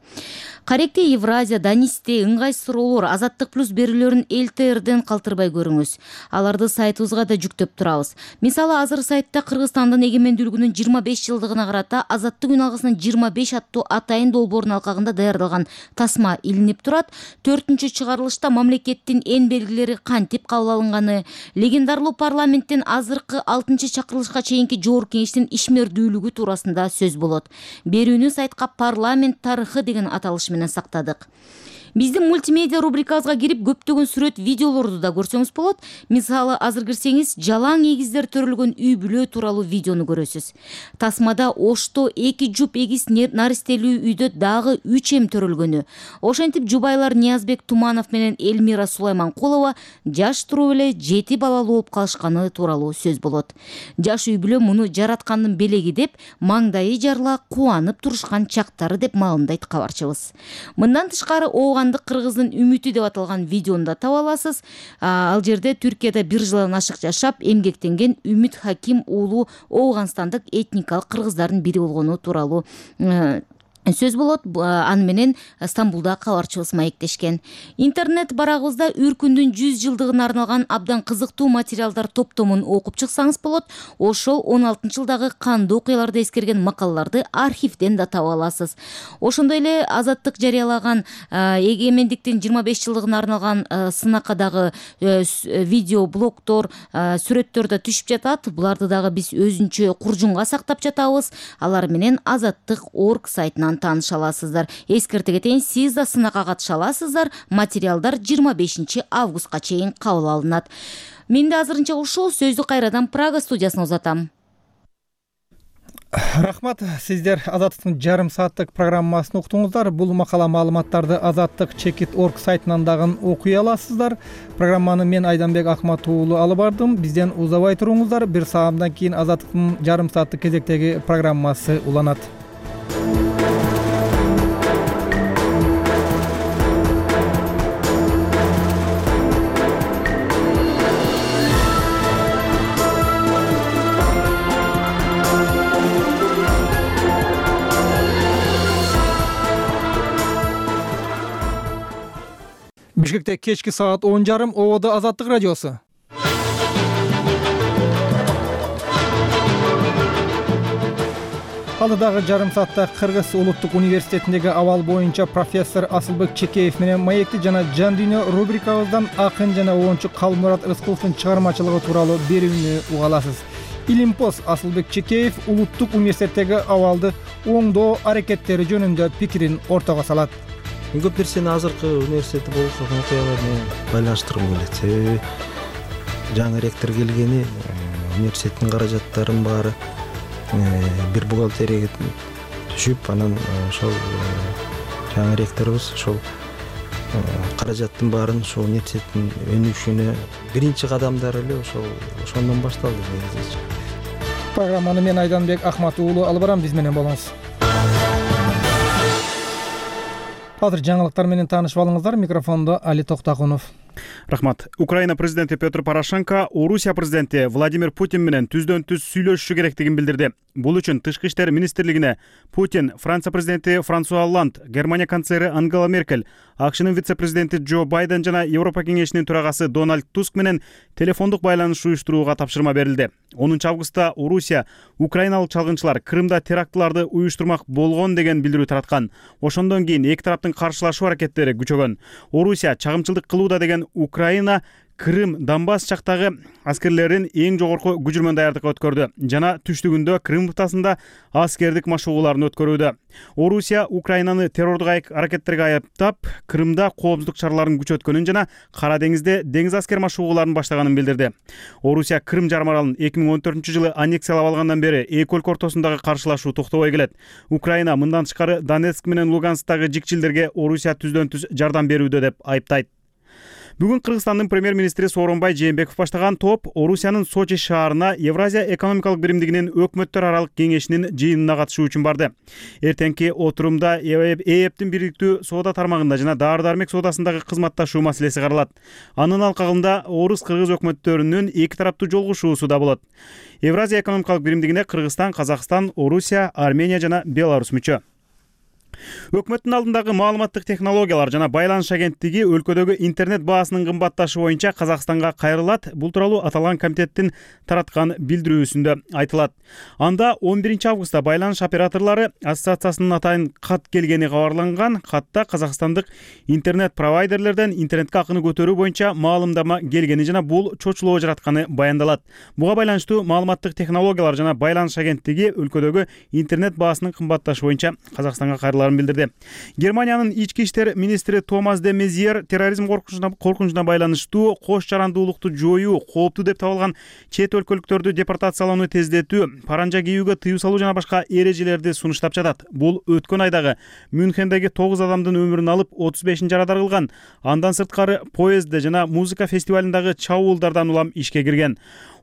Каректи Евразия, Данисте, ыңгайсыз суроолор, Азаттык плюс берүүлөрүн ЛТРден калтырбай көрүңүз. Аларды сайтыбызга да жүктөп турабыз. Мисалы, азыр сайтта Кыргызстандын эгемендүүлүгүнүн 25 жылдыгына карата Азаттык үн алгысынын 25 аттуу атайын долбоорунун алкагында даярдалган тасма илинип турат. 4-чү чыгарылышта мамлекеттин эн белгилери кантип кабыл алынганы, легендарлуу парламенттен азыркы 6-чы чакырылышка чейинки жогорку кеңештин ишмердүүлүгү туурасында сөз болот. Берүүнү сайтка "Парламент тарыхы" деген аталыш менен сактадык. Биздин мультимедиа рубрикабызга кирип көптөгөн сүрөт, видеолорду да көрсөңүз болот. Мисалы, азыр кирсеңиз, жалаң эгиздер төрөлгөн үй бүлө тууралуу видеону көрөсүз. Тасмада Ошто 2 жуп эгиз наристелүү үйдө дагы 3 эм төрөлгөнү. Ошентип жубайлар Ниязбек Туманов менен Элмира Сулайманкулова жаш туруп эле 7 балалуу болуп калышканы тууралуу сөз болот. Жаш үй бүлө муну жараткандын белеги деп, маңдайы жарыла кубанып турушкан чактары деп маалымдайт кабарчыбыз. Мындан тышкары кыргыздын үмүтү деп аталган видеону да таба аласыз. Ал жерде Түркияда 1 жылдан ашык жашап, эмгектенген Үмүт Хаким уулу Ооганстандык этникалык кыргыздардын бири болгону тууралуу сөз болот. Аны менен Стамбулда кабарчыбыз маектешкен. Интернет барагыбызда Үркүндүн 100 жылдыгына арналган абдан кызыктуу материалдар топтомун окуп чыксаңыз болот. Ошол 16-жылдагы кандуу окуяларды эскерген макалаларды архивден да таба аласыз. Ошондой эле Азаттык жарыялаган эгемендиктин 25 жылдыгына арналган сынакадагы видео блогдор, сүрөттөр да түшүп жатат. Буларды дагы биз өзүнчө куржунга сактап жатабыз. Алар менен Азаттык.org сайтынан тааныша аласыздар. Эскерте кетейин, сиз да сынакка катыша аласыздар. Материалдар 25 августка чейин кабыл алынат. Мен да азырынча ушул сөздү кайрадан Прага студиясына узатам. Рахмат, сиздер Азаттыктын жарым сааттык программасын уктуңуздар. Бул макала маалыматтарды Азаттык.org сайтынан дагы окуй аласыздар. Программаны мен Айданбек Акмат уулу алып бардым. Бизден узабай туруңуздар. Бир саамдан кийин Азаттыктын жарым сааттык кезектеги программасы уланат. Бишкекте кечки саат 10:30 ободо Азаттык радиосу. Алдыдагы жарым саатта Кыргыз улуттук университетиндеги абал боюнча профессор Асылбек Чекеев менен маекти жана жан дүйнө рубрикабыздан акын жана оончу Калмурат Рыскуловдун чыгармачылыгы тууралуу берүүнү уга аласыз. Илимпоз Асылбек Чекеев улуттук университеттеги абалды оңдоо аракеттери жөнүндө пикирин ортого салат. Көп нерсени азыркы университетте болуп жаткан окуялар менен байланыштыргым келет. Себеби жаңы ректор келгени, университеттин каражаттарынын баары бир бухгалтерияга түшүп, анан ошол жаңы ректорубуз ошол каражаттын баарын ошол университеттин өнүгүшүнө биринчи кадамдары эле ошондон башталды. Программаны мен Айданбек Акмат уулу алып барам, биз менен болуңуз. Азыр жаңылыктар менен таанышып алыңыздар. Микрофондо Али Токтакунов. Рахмат. Украина президенти Петр Порошенко Орусия президенти Владимир Путин менен түздөн-түз сүйлөшүшү керектигин билдирди. Бул үчүн Тышкы иштер министрлигине Путин, Франция президенти Франсуа Олланд, Германия канцлери Ангела Меркель, АКШнын вице-президенти Джо Байден жана Европа кеңешинин төрагасы Дональд Туск менен телефондук байланыш уюштурууга тапшырма берилди. 10 августта Орусия украиналык чалгынчылар Крымда терактыларды уюштурмак болгон деген билдирүү тараткан. Ошондон кийин эки тараптын каршылашуу аракеттери күчөгөн. Орусия чагымчылдык кылууда деген Украина Крым, Донбасс жактагы аскерлерин эң жогорку күжүрмөн даярдыкка өткөрдү жана түштүгүндө Крым бутасында аскердик машыгууларын өткөрүүдө. Орусия Украинаны террордук аракеттерге айыптап, Крымда коопсуздук чараларын күчөткөнүн жана Кара деңизде деңиз аскер машыгууларын баштаганын билдирди. Орусия Крым жарым аралын 2014-жылы аннексиялап алгандан бери эки өлкө ортосундагы каршылашуу токтобой келет. Украина мындан тышкары Донецк менен Луганскдагы жикчилдерге Орусия түздөн-түз жардам берүүдө деп айыптайт. Бүгүн Кыргызстандын премьер-министри Сооронбай Жээнбеков баштаган топ Орусиянын Сочи шаарына Евразия экономикалык биримдигинин өкмөттөр аралык кеңешинин жыйынына катышуу үчүн барды. Эртеңки отурумда ЭЭПтин бириктүү соода тармагында жана дары-дармек соодасындагы кызматташуу маселеси каралат. Анын алкагында орус-кыргыз өкмөттөрүнүн эки тараптуу жолугушуусу да болот. Евразия экономикалык биримдигине Кыргызстан, Казакстан, Орусия, Армения жана Беларусь мүчө. Өкмөттүн алдындагы маалыматтык технологиялар жана байланыш агенттиги өлкөдөгү интернет баасынын кымбатташы боюнча Казакстанга кайрылат. Бул тууралуу аталган комитеттин тараткан билдирүүсүндө айтылат. Анда 11 августта байланыш операторлору ассоциациясынын атайын кат келгени кабарланган. Катта казакстандык интернет провайдерлерден интернетке акыны көтөрүү боюнча маалымдама келгени жана бул чочулоо жаратканы баяндалат. Буга байланыштуу маалыматтык технологиялар жана байланыш агенттиги өлкөдөгү интернет баасынын кымбатташы боюнча Казакстанга билдирди. Германиянын ички иштер министри Томас де Мезьер терроризм коркунучуна байланыштуу кош жарандуулукту жоюу, кооптуу деп табылган чет өлкөлүктөрдү депортациялоону тездетүү, паранжа кийүүгө тыюу салуу жана башка эрежелерди сунуштап жатат. Бул өткөн айдагы Мюнхендеги 9 адамдын өмүрүн алып, 35-ин жарадар кылган. Андан сырткары поездде жана музыка фестивалындагы чабуулдардан улам ишке кирген.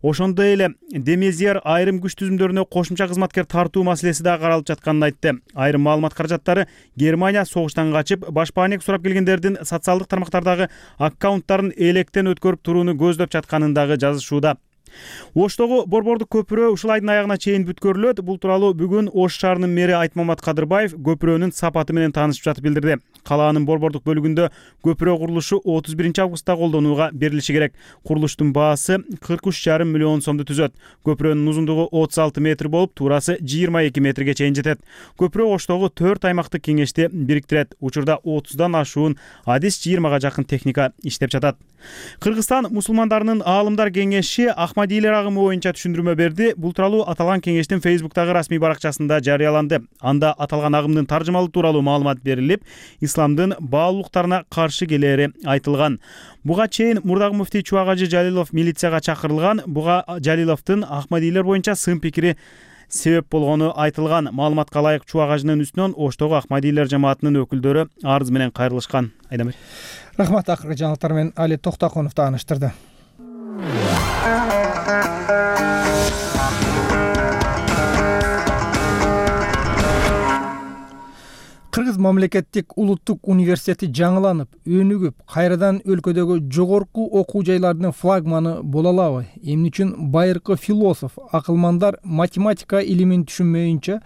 Ошондой эле Демезьер айрым күч түзүмдөрүнө кошумча кызматкер тартуу маселеси да каралып жатканын айтты. Айрым маалымат каражаттары Германия согуштан качып, башпаанек сурап келгендердин социалдык тармактардагы аккаунттарын электен өткөрүп турууну көздөп жатканын дагы жазышууда. Оштогу борбордук көпүрө ушул айдын аягына чейин бүткөрүлөт. Бул тууралуу бүгүн Ош шаарынын мэри Айтмамат Кадырбаев көпүрөнүн сапаты менен таанышып жатып билдирди. Калаанын борбордук бөлүгүндө көпүрө курулушу 31 августта колдонууга берилиши керек. Курулуштун баасы 43,5 миллион сомду түзөт. Көпүрөнүн узундугу 36 метр болуп, туурасы 22 метрге чейин жетет. Көпүрө Оштогу 4 аймактык кеңешти бириктирет. Учурда 30дан ашуун адис 20га жакын техника иштеп жатат. Кыргызстан мусулмандарынын аалымдар кеңеши Ахмадийлер агымы боюнча түшүндүрмө берди. Бул тууралуу аталган кеңештин Facebook'тагы расмий баракчасында жарыяланды. Анда аталган агымдын таржымалуу тууралуу маалымат берилип, исламдын баалуулуктарына каршы келери айтылган. Буга чейин мурдагы муфтий Чубагажы Жалилов милицияга чакырылган. Буга Жалиловдун Ахмадийлер боюнча сын пикири себеп болгону айтылган. Маалыматка ылайык Чубагажынын үстүнөн Оштогу Ахмадийлер жамаатынын өкүлдөрү арыз менен кайрылышкан. Айдамбек. Рахмат, акыркы жаңылыктар менен Али Токтокунов тааныштырды. Кыргыз мамлекеттик улуттук университети жаңыланып, өнүгүп, кайрадан өлкөдөгү жогорку окуу жайлардын флагманы боло алабы? Эмне үчүн байыркы философ, акылмандар математика илимин түшүнмөйүнчө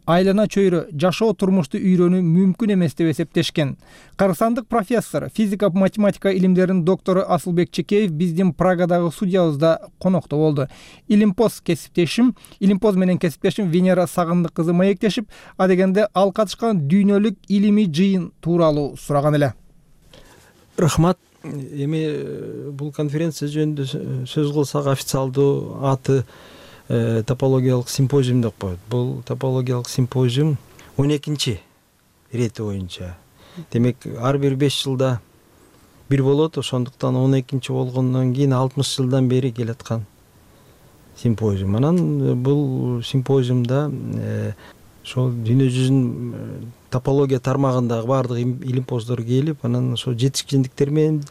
айлана чөйрө жашоо турмушту үйрөнүү мүмкүн эмес деп эсептешкен. Кыргызстандык профессор, физика математика илимдеринин доктору Асылбек Чекеев биздин Прагадагы студиябызда конокто болду. Илимпоз менен кесиптешим Венера Сагындык кызы маектешип, адегенде ал катышкан дүйнөлүк илимий жыйын тууралуу сураган эле. Рахмат. Эми бул конференция жөнүндө сөз кылсак, официалдуу аты топологиялык симпозиум деп коет. Бул топологиялык симпозиум 12-чи ирети боюнча. Демек, ар бир 5 жылда бир болот, ошондуктан 12-чи болгондон кийин 60 жылдан бери келаткан симпозиум. Анан бул симпозиумда ошол дүйнө жүзүнүн топология тармагындагы баардык илимпоздор келип, анан ошол жетишкендиктер менен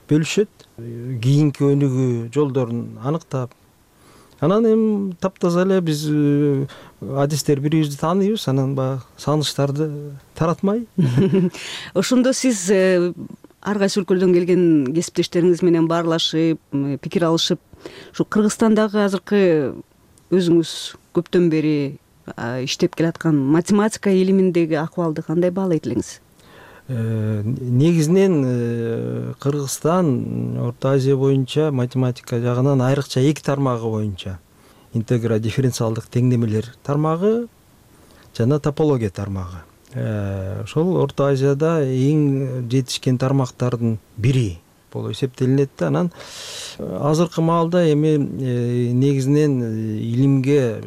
бөлүшөт, кийинки өнүгүү жолдорун аныктап. Анан эми таптаза эле биз адистер бирибизди тааныйбыз, анан баягы сагынычтарды таратмай. Ошондо сиз ар кайсы өлкөлөрдөн келген кесиптештериңиз менен баарлашып, пикир алышып, ушу Кыргызстандагы азыркы өзүңүз көптөн бери иштеп келаткан математика илиминдеги акыбалды кандай баалайт элеңиз? Негизинен Кыргызстан Орто Азия боюнча математика жагынан айрыкча 2 тармагы боюнча интегра дифференциалдык теңдемелер тармагы жана топология тармагы. Ошол Орто Азияда эң жетишкен тармактардын бири болуп эсептелинет да. Анан азыркы маалда эми негизинен илимге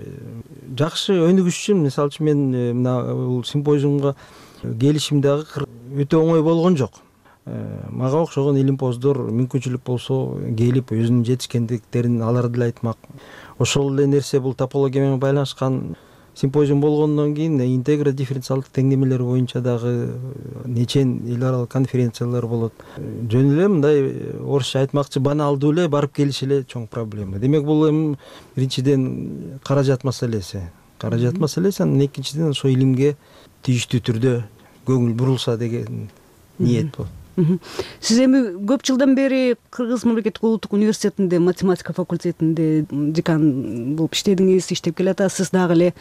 жакшы өнүгүш үчүн, мисалы үчүн мен мына бул симпозиумга келишим дагы өтө оңой болгон жок. Мага окшогон илимпоздор мүмкүнчүлүк болсо келип өзүнүн жетишкендиктерин алар деле айтмак. Ошол эле нерсе бул топология менен байланышкан симпозиум болгондон кийин интегра дифференциалдык теңдемелер боюнча дагы нечен эл аралык конференциялар болот. Жөн эле мындай орусча айтмакчы баналдуу эле барып келиш эле чоң проблема. Демек бул эми биринчиден каражат маселеси. Анан экинчиден ошо илимге тийиштүү түрдө көңүл бурулса деген ниет болот. Сиз эми көп жылдан бери Кыргыз мамлекеттик улуттук университетинде математика факультетинде декан болуп иштедиңиз, иштеп келатасыз. Дагы эле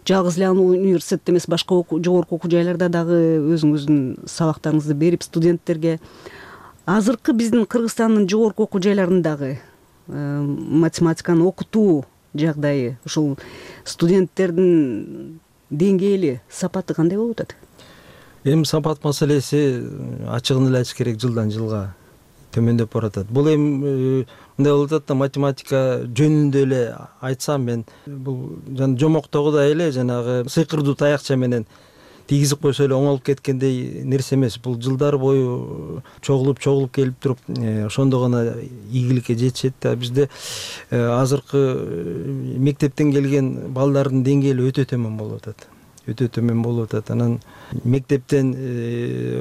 жалгыз эле университетте эмес, башка жогорку окуу жайларда дагы өзүңүздүн сабактарыңызды берип студенттерге. Азыркы биздин Кыргызстандын жогорку окуу жайларындагы математиканы окутуу жагдайы, ушул студенттердин деңгээли, сапаты кандай болуп атат? Эми сапат маселеси ачыгын эле айтыш керек, жылдан жылга төмөндөп баратат. Бул эми мындай болуп атат да, математика жөнүндө эле айтсам, мен бул жомоктогудай эле жанагы сыйкырдуу таякча менен тийгизип койсо эле оңолуп кеткендей нерсе эмес. Бул жылдар бою чогулуп келип туруп, ошондо гана ийгиликке жетишет да. Бизде азыркы мектептен келген балдардын деңгээли өтө төмөн болуп атат. Анан мектептен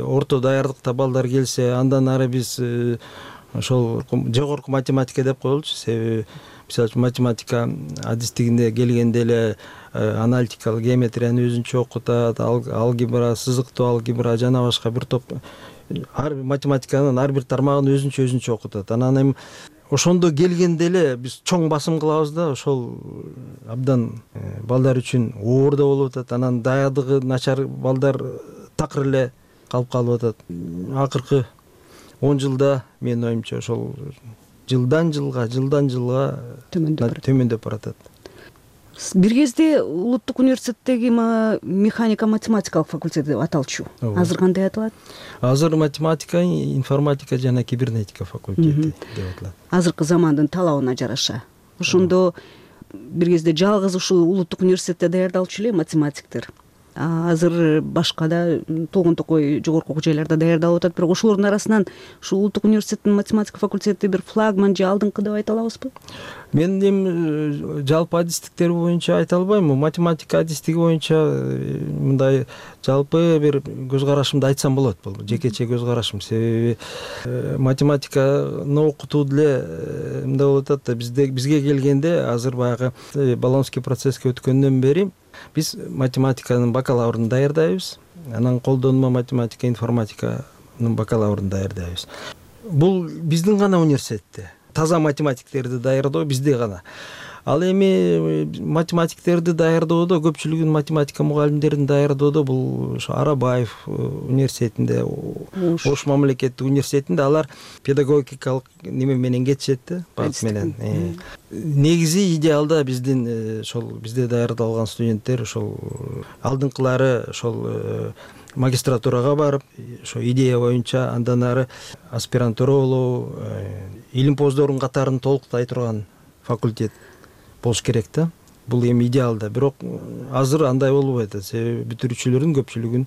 орто даярдыкта балдар келсе, андан ары биз ошол жогорку математика деп коелучу. Себеби мисалы үчүн математика адистигинде келгенде эле аналитикалык геометрияны өзүнчө окутат, алгебра, сызыктуу алгебра жана башка бир топ математиканын ар бир тармагын өзүнчө окутат. Анан эми ошондо келгенде эле биз чоң басым кылабыз да, ошол абдан балдар үчүн оор да болуп атат. Анан даярдыгы начар балдар такыр эле калып калып атат. Акыркы 10 жылда менин оюмча ошол жылдан жылга төмөндөп баратат. Бир кезде улуттук университеттеги механика математикалык факультет деп аталчу. Азыр кандай аталат? Азыр математика, информатика жана кибернетика факультети деп аталат. Азыркы замандын талабына жараша. Ошондо бир кезде жалгыз ушул улуттук университетте даярдалчу эле математиктер. Азыр башка да толгон токой жогорку окуу жайларда даярдалып атат. Бирок ошолордун арасынан ушул улуттук университеттин математика факультети бир флагман же алдыңкы деп айта алабызбы? Мен эми жалпы адистиктер боюнча айта албайм. Математика адистиги боюнча мындай жалпы бир көз карашымды айтсам болот. Бул жекече көз карашым. Себеби математиканы окутуу деле мындай болуп атат да, бизге келгенде азыр баягы Болонский процесске өткөндөн бери биз математиканын бакалаврын даярдайбыз. Анан колдонмо математика, информатиканын бакалаврын даярдайбыз. Бул биздин гана университетте. Таза математиктерди даярдоо бизде гана. Ал эми математиктерди даярдоодо, көпчүлүгүн математика мугалимдерин даярдоодо бул ошо Арабаев университетинде, Ош мамлекеттик университетинде алар педагогикалык неме менен кетишет да, багыт менен. Негизи идеалда биздин ошол бизде даярдалган студенттер ошол алдыңкылары ошол магистратурага барып, ошо идея боюнча андан ары аспирантура болуу, илимпоздордун катарын толуктай турган факультет болуш керек да. Бул эми идеалда. Бирок азыр андай болбой атат. Себеби бүтүрүүчүлөрдүн көпчүлүгүн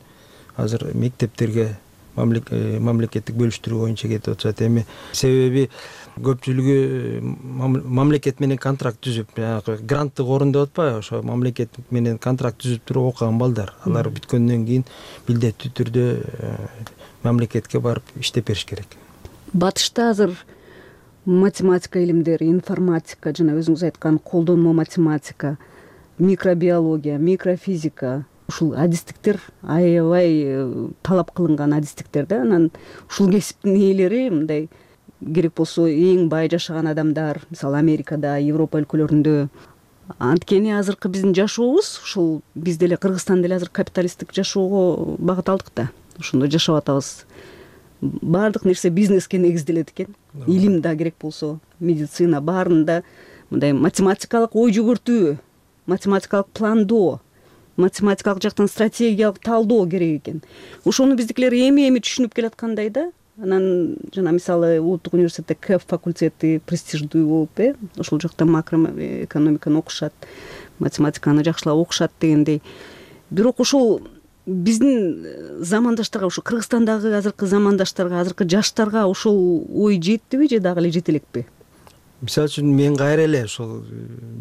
азыр мектептерге мамлекеттик бөлүштүрүү боюнча кетип атышат. Эми себеби көпчүлүгү мамлекет менен контракт түзүп, гранттык орун деп атпайбы, ошо мамлекет менен контракт түзүп туруп окуган балдар. Алар бүткөндөн кийин милдеттүү түрдө мамлекетке барып иштеп бериш керек. Батышта азыр математика илимдери, информатика, жана өзүңүз айткан колдонмо математика, микробиология, микрофизика, ушул адистиктер аябай талап кылынган адистиктер да. Анан ушул кесиптин ээлери мындай керек болсо эң бай жашаган адамдар, мисалы Америкада, Европа өлкөлөрүндө. Анткени азыркы биздин жашообуз, ушул биз деле Кыргызстан деле азыр капиталисттик жашоого багыт алдык да. Ошондо жашап атабыз. Баардык нерсе бизнеске негизделет экен. Илим да керек болсо, медицина баарында мындай математикалык ой жүгүртүү, математикалык пландоо, математикалык жактан стратегиялык талдоо керек экен. Ошону биздикилер эми түшүнүп келаткандай да. Анан жана мисалы улуттук университетте КЭФ факультети престиждүү болуп, ошол жакта макроэкономиканы окушат, математиканы жакшылап окушат дегендей. Бирок ошол биздин замандаштарга, ушу Кыргызстандагы азыркы замандаштарга, азыркы жаштарга ошол ой жеттиби же дагы эле жете элекпи? Мисалы үчүн мен кайра эле ошол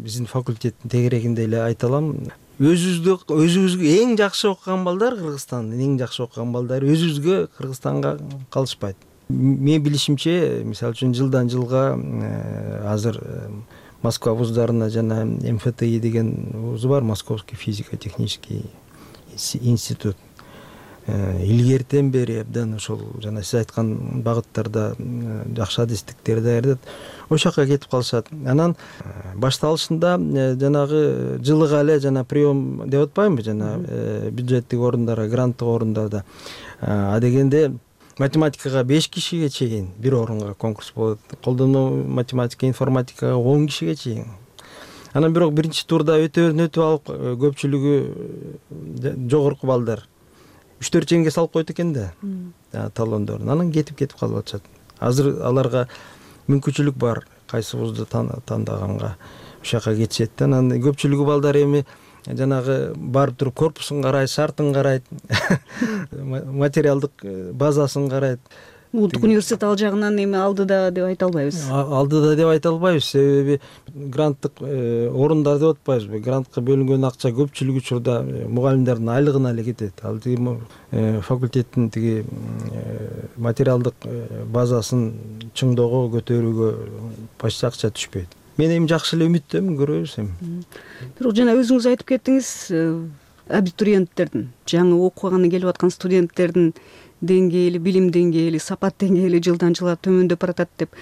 биздин факультеттин тегерегинде эле айта алам. Өзүбүзгө эң жакшы окуган балдар, Кыргызстандын эң жакшы окуган бaldары өзүбүзгө Кыргызстанга калышпайт. Мен билишимче, мисалы үчүн жылдан жылга азыр Москва вуздарына жана МФТИ деген вуз бар, Московский физико-технический институт. Илгертен бери абдан ошол жана сиз айткан багыттарда жакшы адистиктер даярдат. Ошол жака кетип калышат. Анан башталышында жанагы жылыга эле жана прием деп атпаймынбы, жана бюджеттик орундарга, гранттык орундарда. А дегенде математикага 5 кишиге чейин бир орунга конкурс болот. Колдонмо математика, информатикага 10 кишиге чейин. Анан бирок биринчи турда өтөп алып көпчүлүгү жогорку балдар 3-4 чейинге салып койт экен да талондорун. Анан кетип калып атышат. Азыр аларга мүмкүнчүлүк бар, кайсы вузду тандаганга ошол жака кетишет да. Анан көпчүлүгү балдар эми жанагы барып туруп корпусун карайт, шартын карайт, материалдык базасын карайт. Улуттук университет ал жагынан эми алдыда деп айта албайбыз. Алдыда деп айта албайбыз, себеби гранттык орундар деп атпайбызбы. Грантка бөлүнгөн акча көпчүлүк учурда мугалимдердин айлыгына эле кетет. Ал факультеттин тиги материалдык базасын чыңдоого, көтөрүүгө почти акча түшпөйт. Мен эми жакшы эле үмүттөмүн, көрөбүз эми. Бирок жана өзүңүз айтып кеттиңиз, абитуриенттердин, жаңы окуганы келип аткан студенттердин деңгээли, билим деңгээли, сапат деңгээли жылдан жылга төмөндөп баратат деп.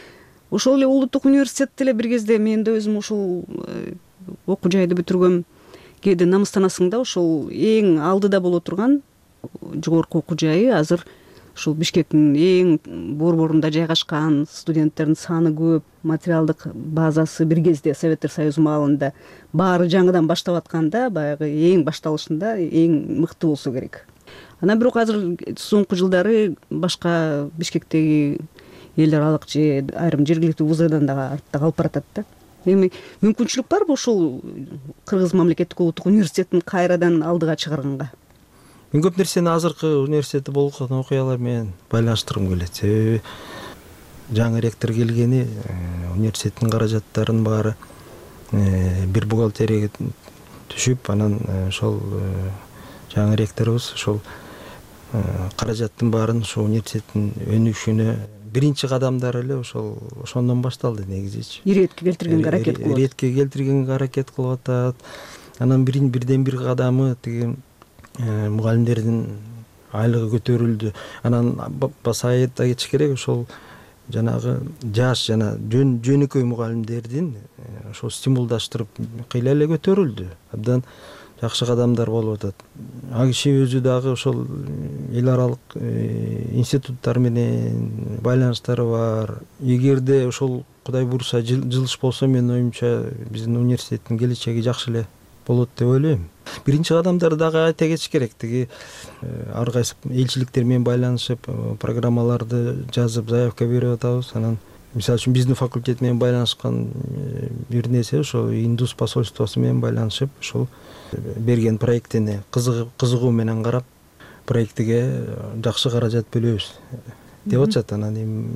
ошол эле улуттук университетте эле бир кезде мен да өзүм ушул окуу жайды бүтүргөм. Кээде намыстанасың да, ошол эң алдыда боло турган жогорку окуу жайы азыр ушул Бишкектин эң борборунда жайгашкан, студенттердин саны көп, материалдык базасы бир кезде Советтер Союзу маалында баары жаңыдан баштап атканда, баягы эң башталышында эң мыкты болсо керек. Анан бирок азыр соңку жылдары башка Бишкектеги эл аралык же айрым жергиликтүү вуздардан дагы артта калып баратат да. Эми мүмкүнчүлүк барбы ушул Кыргыз мамлекеттик улуттук университетин кайрадан алдыга чыгарганга? Мен көп нерсени азыркы университетте болуп калган окуялар менен байланыштыргым келет. Себеби жаңы ректор келгени, университеттин каражаттарынын баары бир бухгалтерияга түшүп, анан ошол жаңы ректорубуз ошол каражаттын баарын ошол университеттин өнүгүшүнө биринчи кадамдары эле ошондон башталды негизичи. Иретке келтиргенге аракет кылып. Иретке келтиргенге аракет кылып атат. Анан бирден бир кадамы тиги мугалимдердин айлыгы көтөрүлдү. Анан баса айта кетиш керек, ошол жанагы жаш жана жөнөкөй мугалимдердин ошол стимулдаштырып кыйла эле көтөрүлдү. Абдан жакшы кадамдар болуп атат. А киши өзү дагы ошол эл аралык институттар менен байланыштары бар. Эгерде ошол Кудай буйруса жылыш болсо, менин оюмча биздин университеттин келечеги жакшы эле болот деп ойлойм. Биринчи кадамдарды дагы айта кетиш керек. Тиги ар кайсы элчиликтер менен байланышып, программаларды жазып, заявка берип атабыз. Анан мисалы үчүн биздин факультет менен байланышкан бир нерсе ошо Индус посольствосу менен байланышып, ошол берген проектине кызыгуу менен карап, проектиге жакшы каражат бөлөбүз деп атышат. Анан эми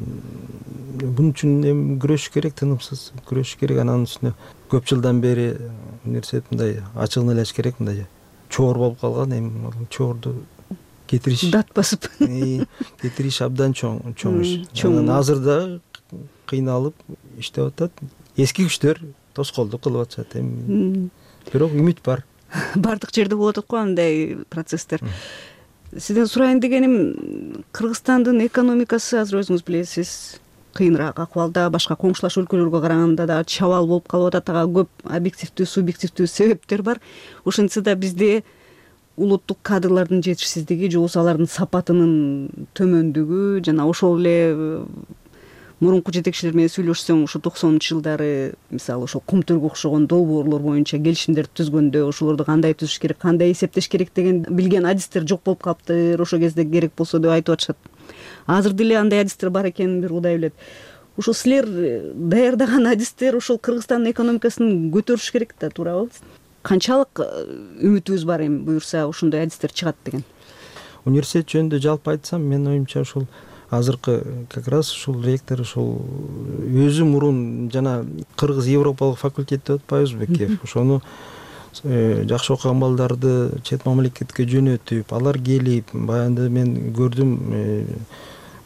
бунун үчүн эми күрөшүш керек, тынымсыз күрөшүш керек. Анан үстүнө көп жылдан бери университет мындай ачыгын эле ачыш керек, мындай чоор болуп калган. Эми чоорду кетириш, дат басып кетириш абдан чоң иш. Анан азыр да кыйналып иштеп атат. Эски күчтөр тоскоолдук кылып атышат. Эми бирок үмүт бар. Бардык жерде болуп атат го андай процесстер. Сизден сурайын дегеним, Кыргызстандын экономикасы азыр өзүңүз билесиз, кыйыныраак акыбалда, башка коңшулаш өлкөлөргө караганда да чабал болуп калып атат. Ага көп объективдүү, субъективдүү себептер бар. Ошентсе да бизде улуттук кадрлардын жетишсиздиги же болбосо алардын сапатынын төмөндүгү жана ошол эле мурунку жетекчилер менен сүйлөшсөң, ушу 90-жылдары мисалы ошол Кумтөргө окшогон долбоорлор боюнча келишимдерди түзгөндө ошолорду кандай түзүш керек, кандай эсептеш керек деген билген адистер жок болуп калыптыр. Ошол кезде керек болсо деп айтып атышат. Азыр деле андай адистер бар экенин бир Кудай билет. Ушул силер даярдаган адистер ошол Кыргызстандын экономикасын көтөрүш керек да, туурабы? Канчалык үмүтүбүз бар эми буюрса ошондой адистер чыгат деген? Университет жөнүндө жалпы айтсам, менин оюмча ушул азыркы как раз ушул ректор ушул өзү мурун жана Кыргыз Европалык факультет деп атпайбызбы Бекеев, ошону жакшы окуган балдарды чет мамлекетке жөнөтүп, алар келип, баягы мен көрдүм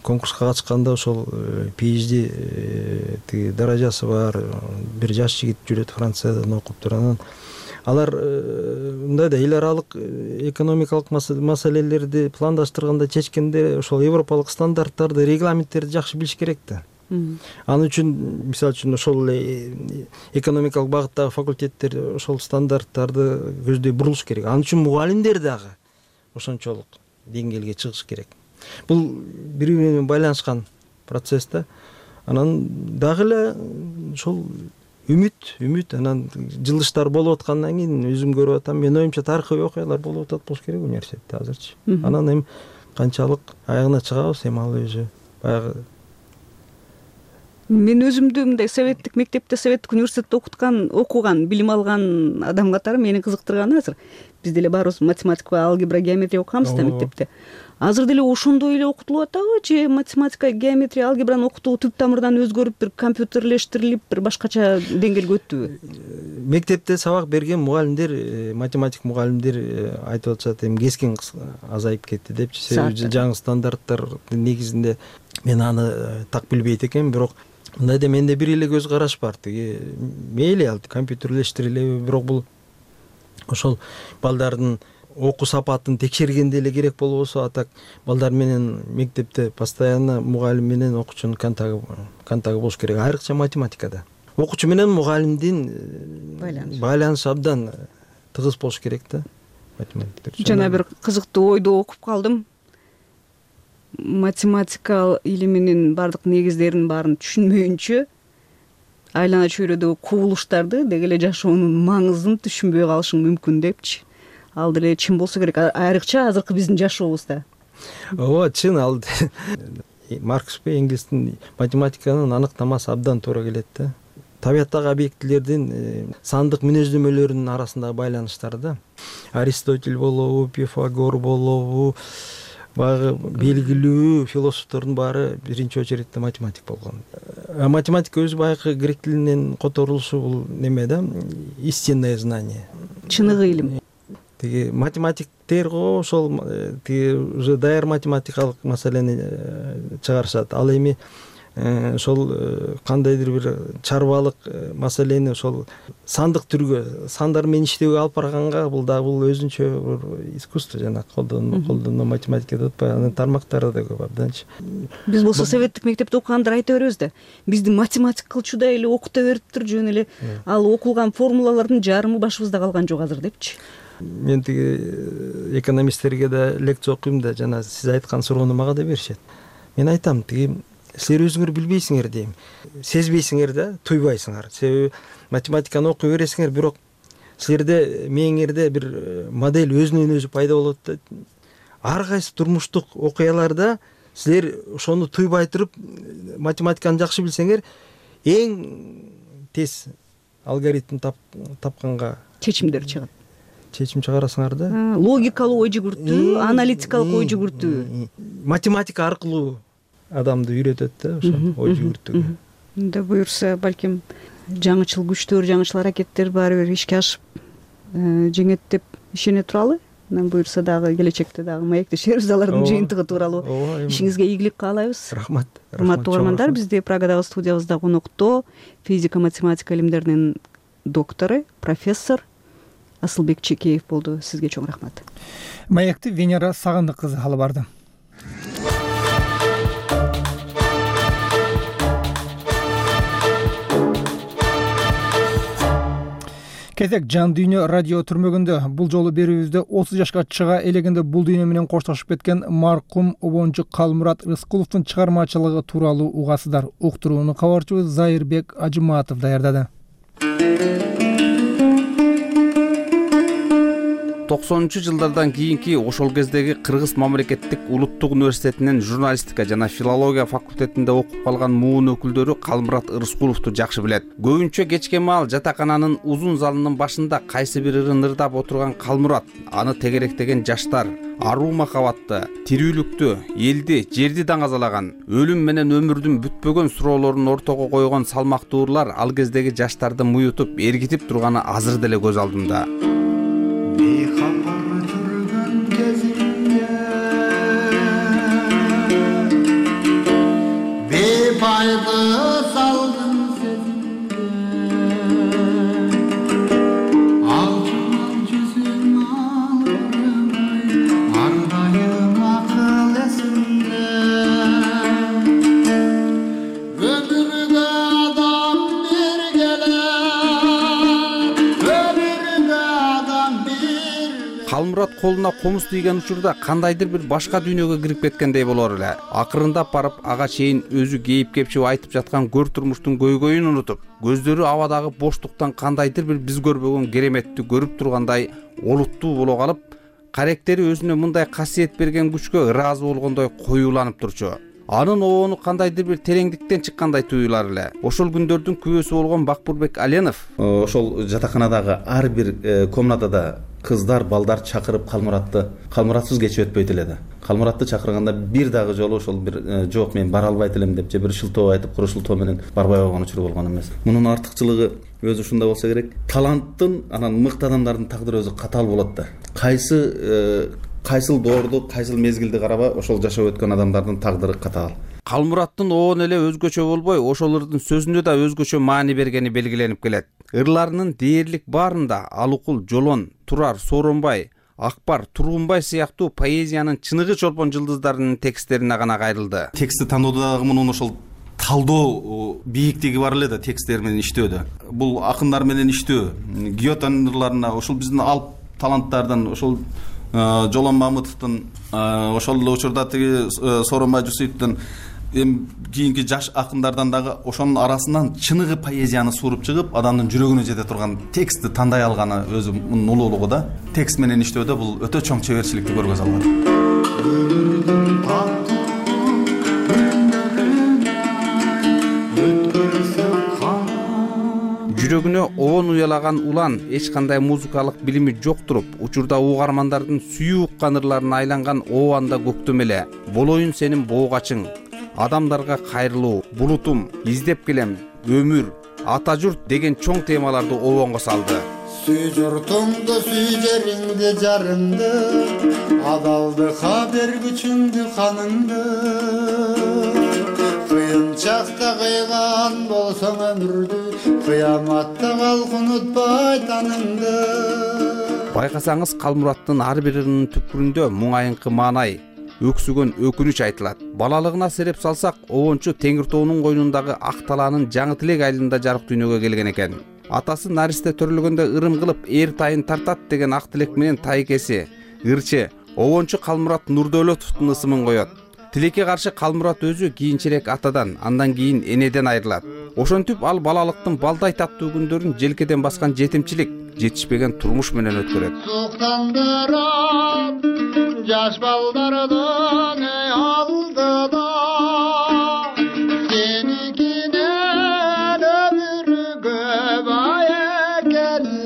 конкурска катышканда ошол PhD тиги даражасы бар бир жаш жигит жүрөт, Франциядан окуптур. Анан алар мындай да эл аралык экономикалык маселелерди пландаштырганда, чечкенде ошол европалык стандарттарды, регламенттерди жакшы билиш керек да. Анын үчүн мисалы үчүн ошол экономикалык багыттагы факультеттер ошол стандарттарды көздөй бурулуш керек. Анын үчүн мугалимдер дагы ошончолук деңгээлге чыгыш керек. Бул бири менен байланышкан процесс да. Анан дагы эле ошол үмүт, анан жылыштар болуп аткандан кийин өзүм көрүп атам. Мен оюмча тарыхый окуялар болуп атат болуш керек университетте азырчы. Анан эми канчалык аягына чыгабыз, эми ал өзү баягы. Мен өзүмдү мындай советтик мектепте, советтик университетте окуган, билим алган адам катары мени кызыктырганы азыр биз деле баарыбыз математика, алгебра, геометрия окуганбыз да мектепте. Азыр деле ошондой эле окутулуп атабы же математика, геометрия, алгебраны окутуу түп тамырдан өзгөрүп, бир компьютерлештирилип, бир башкача деңгээлге өттүбү? Мектепте сабак берген мугалимдер, математик мугалимдер айтып атышат, эми кескин азайып кетти депчи. Себеби жаңы стандарттардын негизинде мен аны так билбейт экенмин, бирок мындай да менде бир эле көз караш бар. Тиги мейли ал компьютерлештирилеби, бирок бул ошол балдардын окуу сапатын текшергенде эле керек болбосо, а так балдар менен мектепте постоянно мугалим менен окуучунун контагы болуш керек, айрыкча математикада. Окуучу менен мугалимдин байланышы абдан тыгыз болуш керек да. Жана бир кызыктуу ойду окуп калдым. Математика илиминин бардык негиздерин баарын түшүнмөйүнчө айлана чөйрөдөгү кубулуштарды деги эле жашоонун маңызын түшүнбөй калышың мүмкүн депчи. Ал деле чын болсо керек, айрыкча азыркы биздин жашообузда. Ооба, чын. Ал Маркс пе Энгельстин математиканын аныктамасы абдан туура келет да. Табияттагы объектилердин сандык мүнөздөмөлөрүнүн арасындагы байланыштар да. Аристотель болобу, Пифагор болобу, баягы белгилүү философтордун баары биринчи очередде математик болгон. Математика өзү баягы грек тилинен которулушу бул неме да, истинное знание. Чыныгы илим. Тиги математиктер го ошол тиги уже даяр математикалык маселени чыгарышат. Ал эми ошол кандайдыр бир чарбалык маселени ошол сандык түргө, сандар менен иштөөгө алып барганга бул өзүнчө бир искусство, жана колдонмо математика деп атпайбы, анын тармактары да көп абданчы. Биз болсо советтик мектепте окугандар айта беребиз да, бизди математика кылчудай эле окута бериптир, жөн эле ал окулган формулалардын жарымы башыбызда калган жок азыр депчи. Мен тиги экономисттерге да лекция окуйм да, жана сиз айткан суроону мага да беришет. Мен айтам, тиги силер өзүңөр билбейсиңер дейм, сезбейсиңер да, туйбайсыңар. Себеби математиканы окуй бересиңер, бирок силерде мээңерде бир модель өзүнөн өзү пайда болот да. Ар кайсы турмуштук окуяларда силер ошону туйбай туруп математиканы жакшы билсеңер, эң тез алгоритм тапканга чечимдер чыгат. Чечим чыгарасыңар да. Логикалуу ой жүгүртүү, аналитикалык ой жүгүртүү. Математика аркылуу адамды үйрөтөт да, ошо ой жүгүртүүгө. Да буюрса, балким жаңычыл күчтөр, жаңычыл аракеттер баары бир ишке ашып жеңет деп ишене туралы. Анан буюрса дагы келечекте дагы маектешербиз алардын жыйынтыгы тууралуу. Ишиңизге ийгилик каалайбыз. Рахмат. Урматтуу угармандар, бизде Прагадагы студиябызда конокто физика математика илимдеринин доктору, профессор Асылбек Чекеев болду. Сизге чоң рахмат. Маекти Венера Сагындык кызы алып барды. Кезек Жан дүйнө радио түрмөгүндө. Бул жолу берүүбүздө 30 жашка чыга элегенде бул дүйнө менен коштошуп кеткен маркум обончу Калмурат Рыскуловдун чыгармачылыгы тууралуу угасыздар. Уктурууну кабарчыбыз Зайырбек Ажыматов даярдады. 90-жылдардан кийинки ошол кездеги Кыргыз мамлекеттик улуттук университетинин журналистика жана филология факультетинде окуп калган муун өкүлдөрү Калмурат Рыскуловду жакшы билет. Көбүнчө кечке маал жатакананын узун залынын башында кайсы бир ырын ырдап отурган Калмурат, аны тегеректеген жаштар, аруу махабатты, тирүүлүктү, элди, жерди даңазалаган, өлүм менен өмүрдүн бүтпөгөн суроолорун ортого койгон салмактуурлар ал кездеги жаштарды муютуп, эргитип турганы азыр деле көз алдымда. Бейхабар жүргөн кезимде бейпайды салдым сезимге алжымал жүзүң алырмай ардайым акыл эсимде өмүргө адам бергеле Калмурат колуна комуз тийген учурда кандайдыр бир башка дүйнөгө кирип кеткендей болор эле. Акырындап барып ага чейин өзү кейип кепчип айтып жаткан көр турмуштун көйгөйүн унутуп, көздөрү абадагы боштуктан кандайдыр бир биз көрбөгөн кереметти көрүп тургандай олуттуу боло калып, каректери өзүнө мындай касиет берген күчкө ыраазы болгондой коюуланып турчу. Анын обону кандайдыр бир тереңдиктен чыккандай туюлар эле. Ошол күндөрдүн күбөсү болгон Бакбурбек Аленов ошол жатаканадагы ар бир комнатада кыздар, балдар чакырып Калмуратсыз кечип өтпөйт эле да. Калмуратты чакырганда бир дагы жолу ошол бир жок мен бара албайт элем деп же бир шылтоо айтып, куру шылтоо менен барбай койгон учуру болгон эмес. Мунун артыкчылыгы өзү ушундай болсо керек. Таланттын, анан мыкты адамдардын тагдыры өзү катаал болот да. Кайсыл доорду, кайсыл мезгилди карабай, ошол жашап өткөн адамдардын тагдыры катаал. Калмураттын оон эле өзгөчө болбой, ошол ырдын сөзүнө да өзгөчө маани бергени белгиленип келет. Ырларынын дээрлик баарында Алыкул, Жолон, Турар, Сооронбай, Акбар Тургунбай сыяктуу поэзиянын чыныгы чолпон жылдыздарынын тексттерине гана кайрылды. Текстти тандоодо дагы мунун ошол талдоо бийиктиги бар эле да тексттер менен иштөөдө. Бул акындар менен иштөө, Гётенин ырларына, ошол биздин алп таланттардан, ошол Жолон Мамытовдун, ошол эле учурда тиги Сооронбай Жусуповдун кийинки жаш акындардан дагы ошонун арасынан чыныгы поэзияны сууруп чыгып, адамдын жүрөгүнө жете турган текстти тандай алганы өзү мунун улуулугу да. Текст менен иштөөдө бул өтө чоң чеберчиликти көргөзө алат. Жүрөгүнө оон уялаган улан эч кандай музыкалык билими жок туруп, учурда угармандардын сүйүү уккан ырларына айланган оанда көктөм эле, болоюн сенин боогачың, адамдарга кайрылуу, булутум, издеп келем, өмүр, ата журт деген чоң темаларды обонго салды. Сүй журтуңду, сүй жериңди, жарыңды, адалдыкка бергүчүңдү, каныңды. Кыйын чакта кыйган болсоң өмүрдү, кыяматта калк унутпай таныңды. Байкасаңыз, Калмураттын ар бир ырынын түпкүрүндө муңайыңкы маанай, өксүгөн өкүнүч айтылат. Балалыгына сереп салсак, обончу Теңир тоонун койнундагы ак талаанын жаңы тилек айылында жарык дүйнөгө келген экен. Атасы наристе төрөлгөндө ырым кылып эр тайын тартат деген ак тилек менен тайкеси, ырчы, обончу Калмурат Нурдөөлөтовдун ысымын коет. Тилекке каршы Калмурат өзү кийинчерээк атадан, андан кийин энеден айрылат. Ошентип ал балалыктын балдай таттуу күндөрүн желкеден баскан жетимчилик, жетишпеген турмуш менен өткөрөт. Суктандырат жаш балдардын алдыда, сеникинен өмүргө бай экени,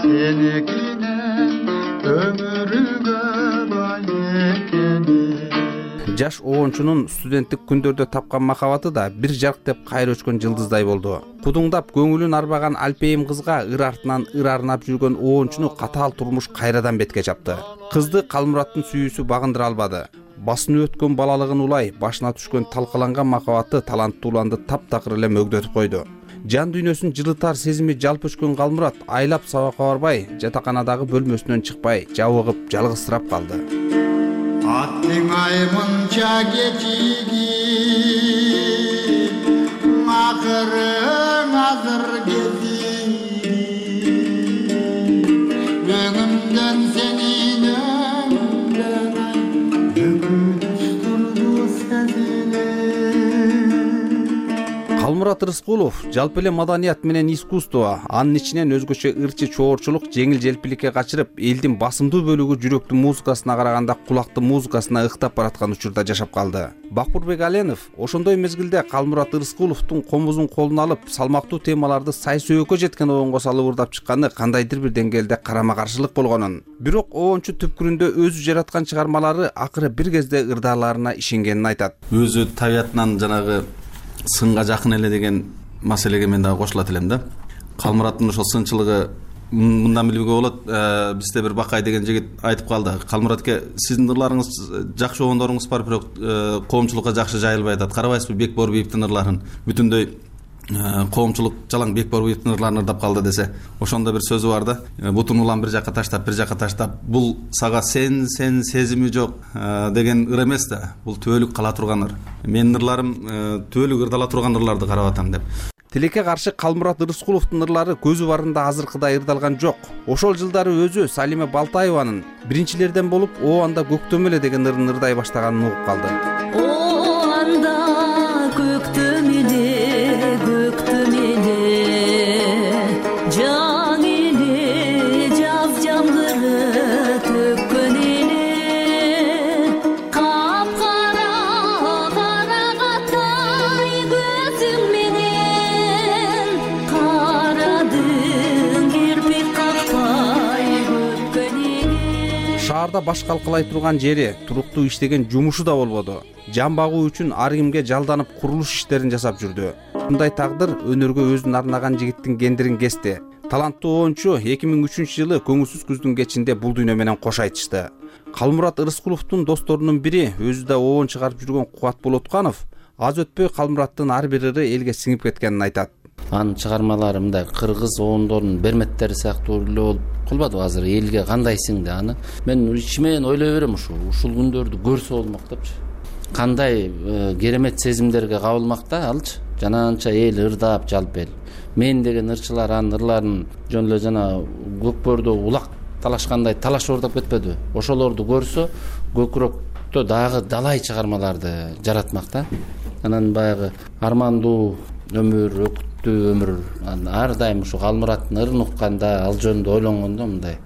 сеникинен өмүргө бай экени. Жаш обончунун студенттик күндөрдө тапкан махабаты да бир жарктеп кайра өчкөн жылдыздай болду. Кудуңдап көңүлүн арбаган Алпейим кызга ыр артынан ыр арнап жүргөн обончуну катаал турмуш кайрадан бетке чапты. Кызды Калмураттын сүйүүсү багындыра албады. Басынып өткөн балалыгын улай, башына түшкөн талкаланган махабаты таланттуу уланды таптакыр эле мөгдөтүп койду. Жан дүйнөсүн жылытар сезими жалп өчкөн Калмурат айлап сабакка барбай, жатаканадагы бөлмөсүнөн чыкпай, жабыгып жалгызсырап калды. Аттың аймынча кечиги, акырың азыр кези, өңүмдөн сенин өңүмдөн өкүнүч турду сезиле. Калмурат Рыскулов жалпы эле маданият менен искусство, анын ичинен өзгөчө ырчы чоорчулук жеңил желпиликке качырып, элдин басымдуу бөлүгү жүрөктүн музыкасына караганда кулактын музыкасына ыктап бараткан учурда жашап калды. Бакбурбек Аленов ошондой мезгилде Калмурат Рыскуловдун комузун колуна алып, салмактуу темаларды сай сөөгө жеткен обонго салып ырдап чыкканы кандайдыр бир деңгээлде карама каршылык болгонун, бирок обончу түпкүрүндө өзү жараткан чыгармалары акыры бир кезде ырдааларына ишенгенин айтат. Өзү табиятынан жанагы сынга жакын эле деген маселеге мен дагы кошулат элем да. Калмураттын ошол сынчылыгы мындан билүүгө болот. Бизде бир Бакай деген жигит айтып калды. Калмуратке сиздин ырларыңыз жакшы обондоруңуз бар, бирок коомчулукка жакшы жайылбай атат. Карабайсызбы Бек Боорбиевдин ырларын? Бүтүндөй коомчулук жалаң Бек Боорбиевдин ырларын ырдап калды десе, ошондо бир сөзү бар да. Бутун улам бир жакка таштап, бул сага сен сезими жок деген ыр эмес да. Бул түбөлүк кала турган ыр. Менин ырларым түбөлүк ырдала турган ырларды карап атам деп. Тилекке каршы Калмурат Рыскуловдун ырлары көзү барында азыркыдай ырдалган жок. Ошол жылдары өзү Салиме Балтаеванын биринчилерден болуп Оанда көктөм эле деген ырын ырдай баштаганын угуп калды. Оанда көктөм эле, көктөм эле, жан эле, жаз жамгыры төккөн эле, капкара карагатай көзүң менен, карадың кирпик какпай көпкөн эле. Шаарда баш калкалай турган жери, туруктуу иштеген жумушу да болбоду. Жан багуу үчүн ар кимге жалданып курулуш иштерин жасап жүрдү. Мындай тагдыр өнөргө өзүн арнаган жигиттин кендирин кести. Таланттуу обончу 2003 жылы көңүлсүз күздүн кечинде бул дүйнө менен кош айтышты. Калмурат Рыскуловдун досторунун бири, өзү да обон чыгарып жүргөн Кубат Болотканов, аз өтпөй Калмураттын ар бир ыры элге сиңип кеткенин айтат. анын чыгармалары мындай кыргыз оондорунун берметтери сыяктуу эле болуп калбадыбы азыр элге кандайсың деп. Аны мен ичимен ойлой берем, ушул күндөрдү көрсө болмок депчи. Кандай керемет сезимдерге кабылмак да алчы. Жананча эл ырдап жалп эл. Мен деген ырчылар анын ырларын жөн эле жана көкбөрдө улак талашкандай талаш ордоп кетпедиби? Ошолорду көрсө көкүрөктө дагы далай чыгармаларды жаратмак да. Анан баягы армандуу өмүр, өкүттүү өмүр, ар дайым ушу Калмураттын ырын укканда, ал жөнүндө ойлонгондо мындай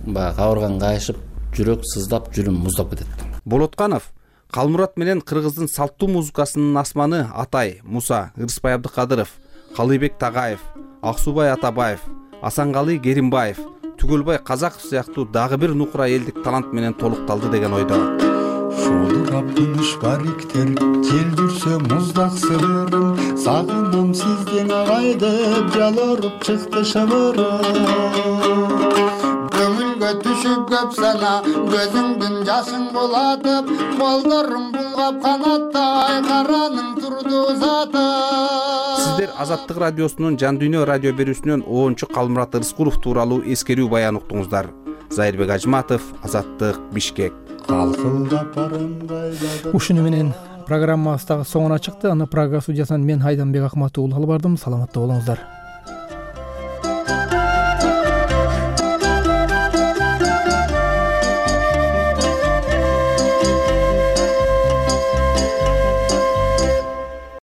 баягы кабыргаң кайышып, жүрөк сыздап, жүрүм муздап кетет. Болотканов Калмурат менен кыргыздын салттуу музыкасынын асманы Атай Муса, Ырысбай Абдыкадыров, Калыйбек Тагаев, Аксубай Атабаев, Асанкалы Керимбаев, Түгөлбай Казаков сыяктуу дагы бир нукура элдик талант менен толукталды деген ойдо. Шодурап тыныш бариктер, жел жүрсө муздак сырырым, сагынам сизден агай деп жалоруп чыкты шыбырым. Көңүлгө түшүп көп сана, көзүңдүн жашын булатып, колдорум булгап канаттай караның турду заты. Сиздер Азаттык радиосунун Жан Дүйнө радио берүүсүнөн 10-чу Калмурат Рыскулов тууралуу эскерүү баян уктуңуздар. Зайырбек Ажматов, Азаттык, Бишкек. Ушуну менен программабыз дагы соңуна чыкты. Аны Прага студиясынан мен Айданбек Акматов алып бардым. Саламатта болуңуздар.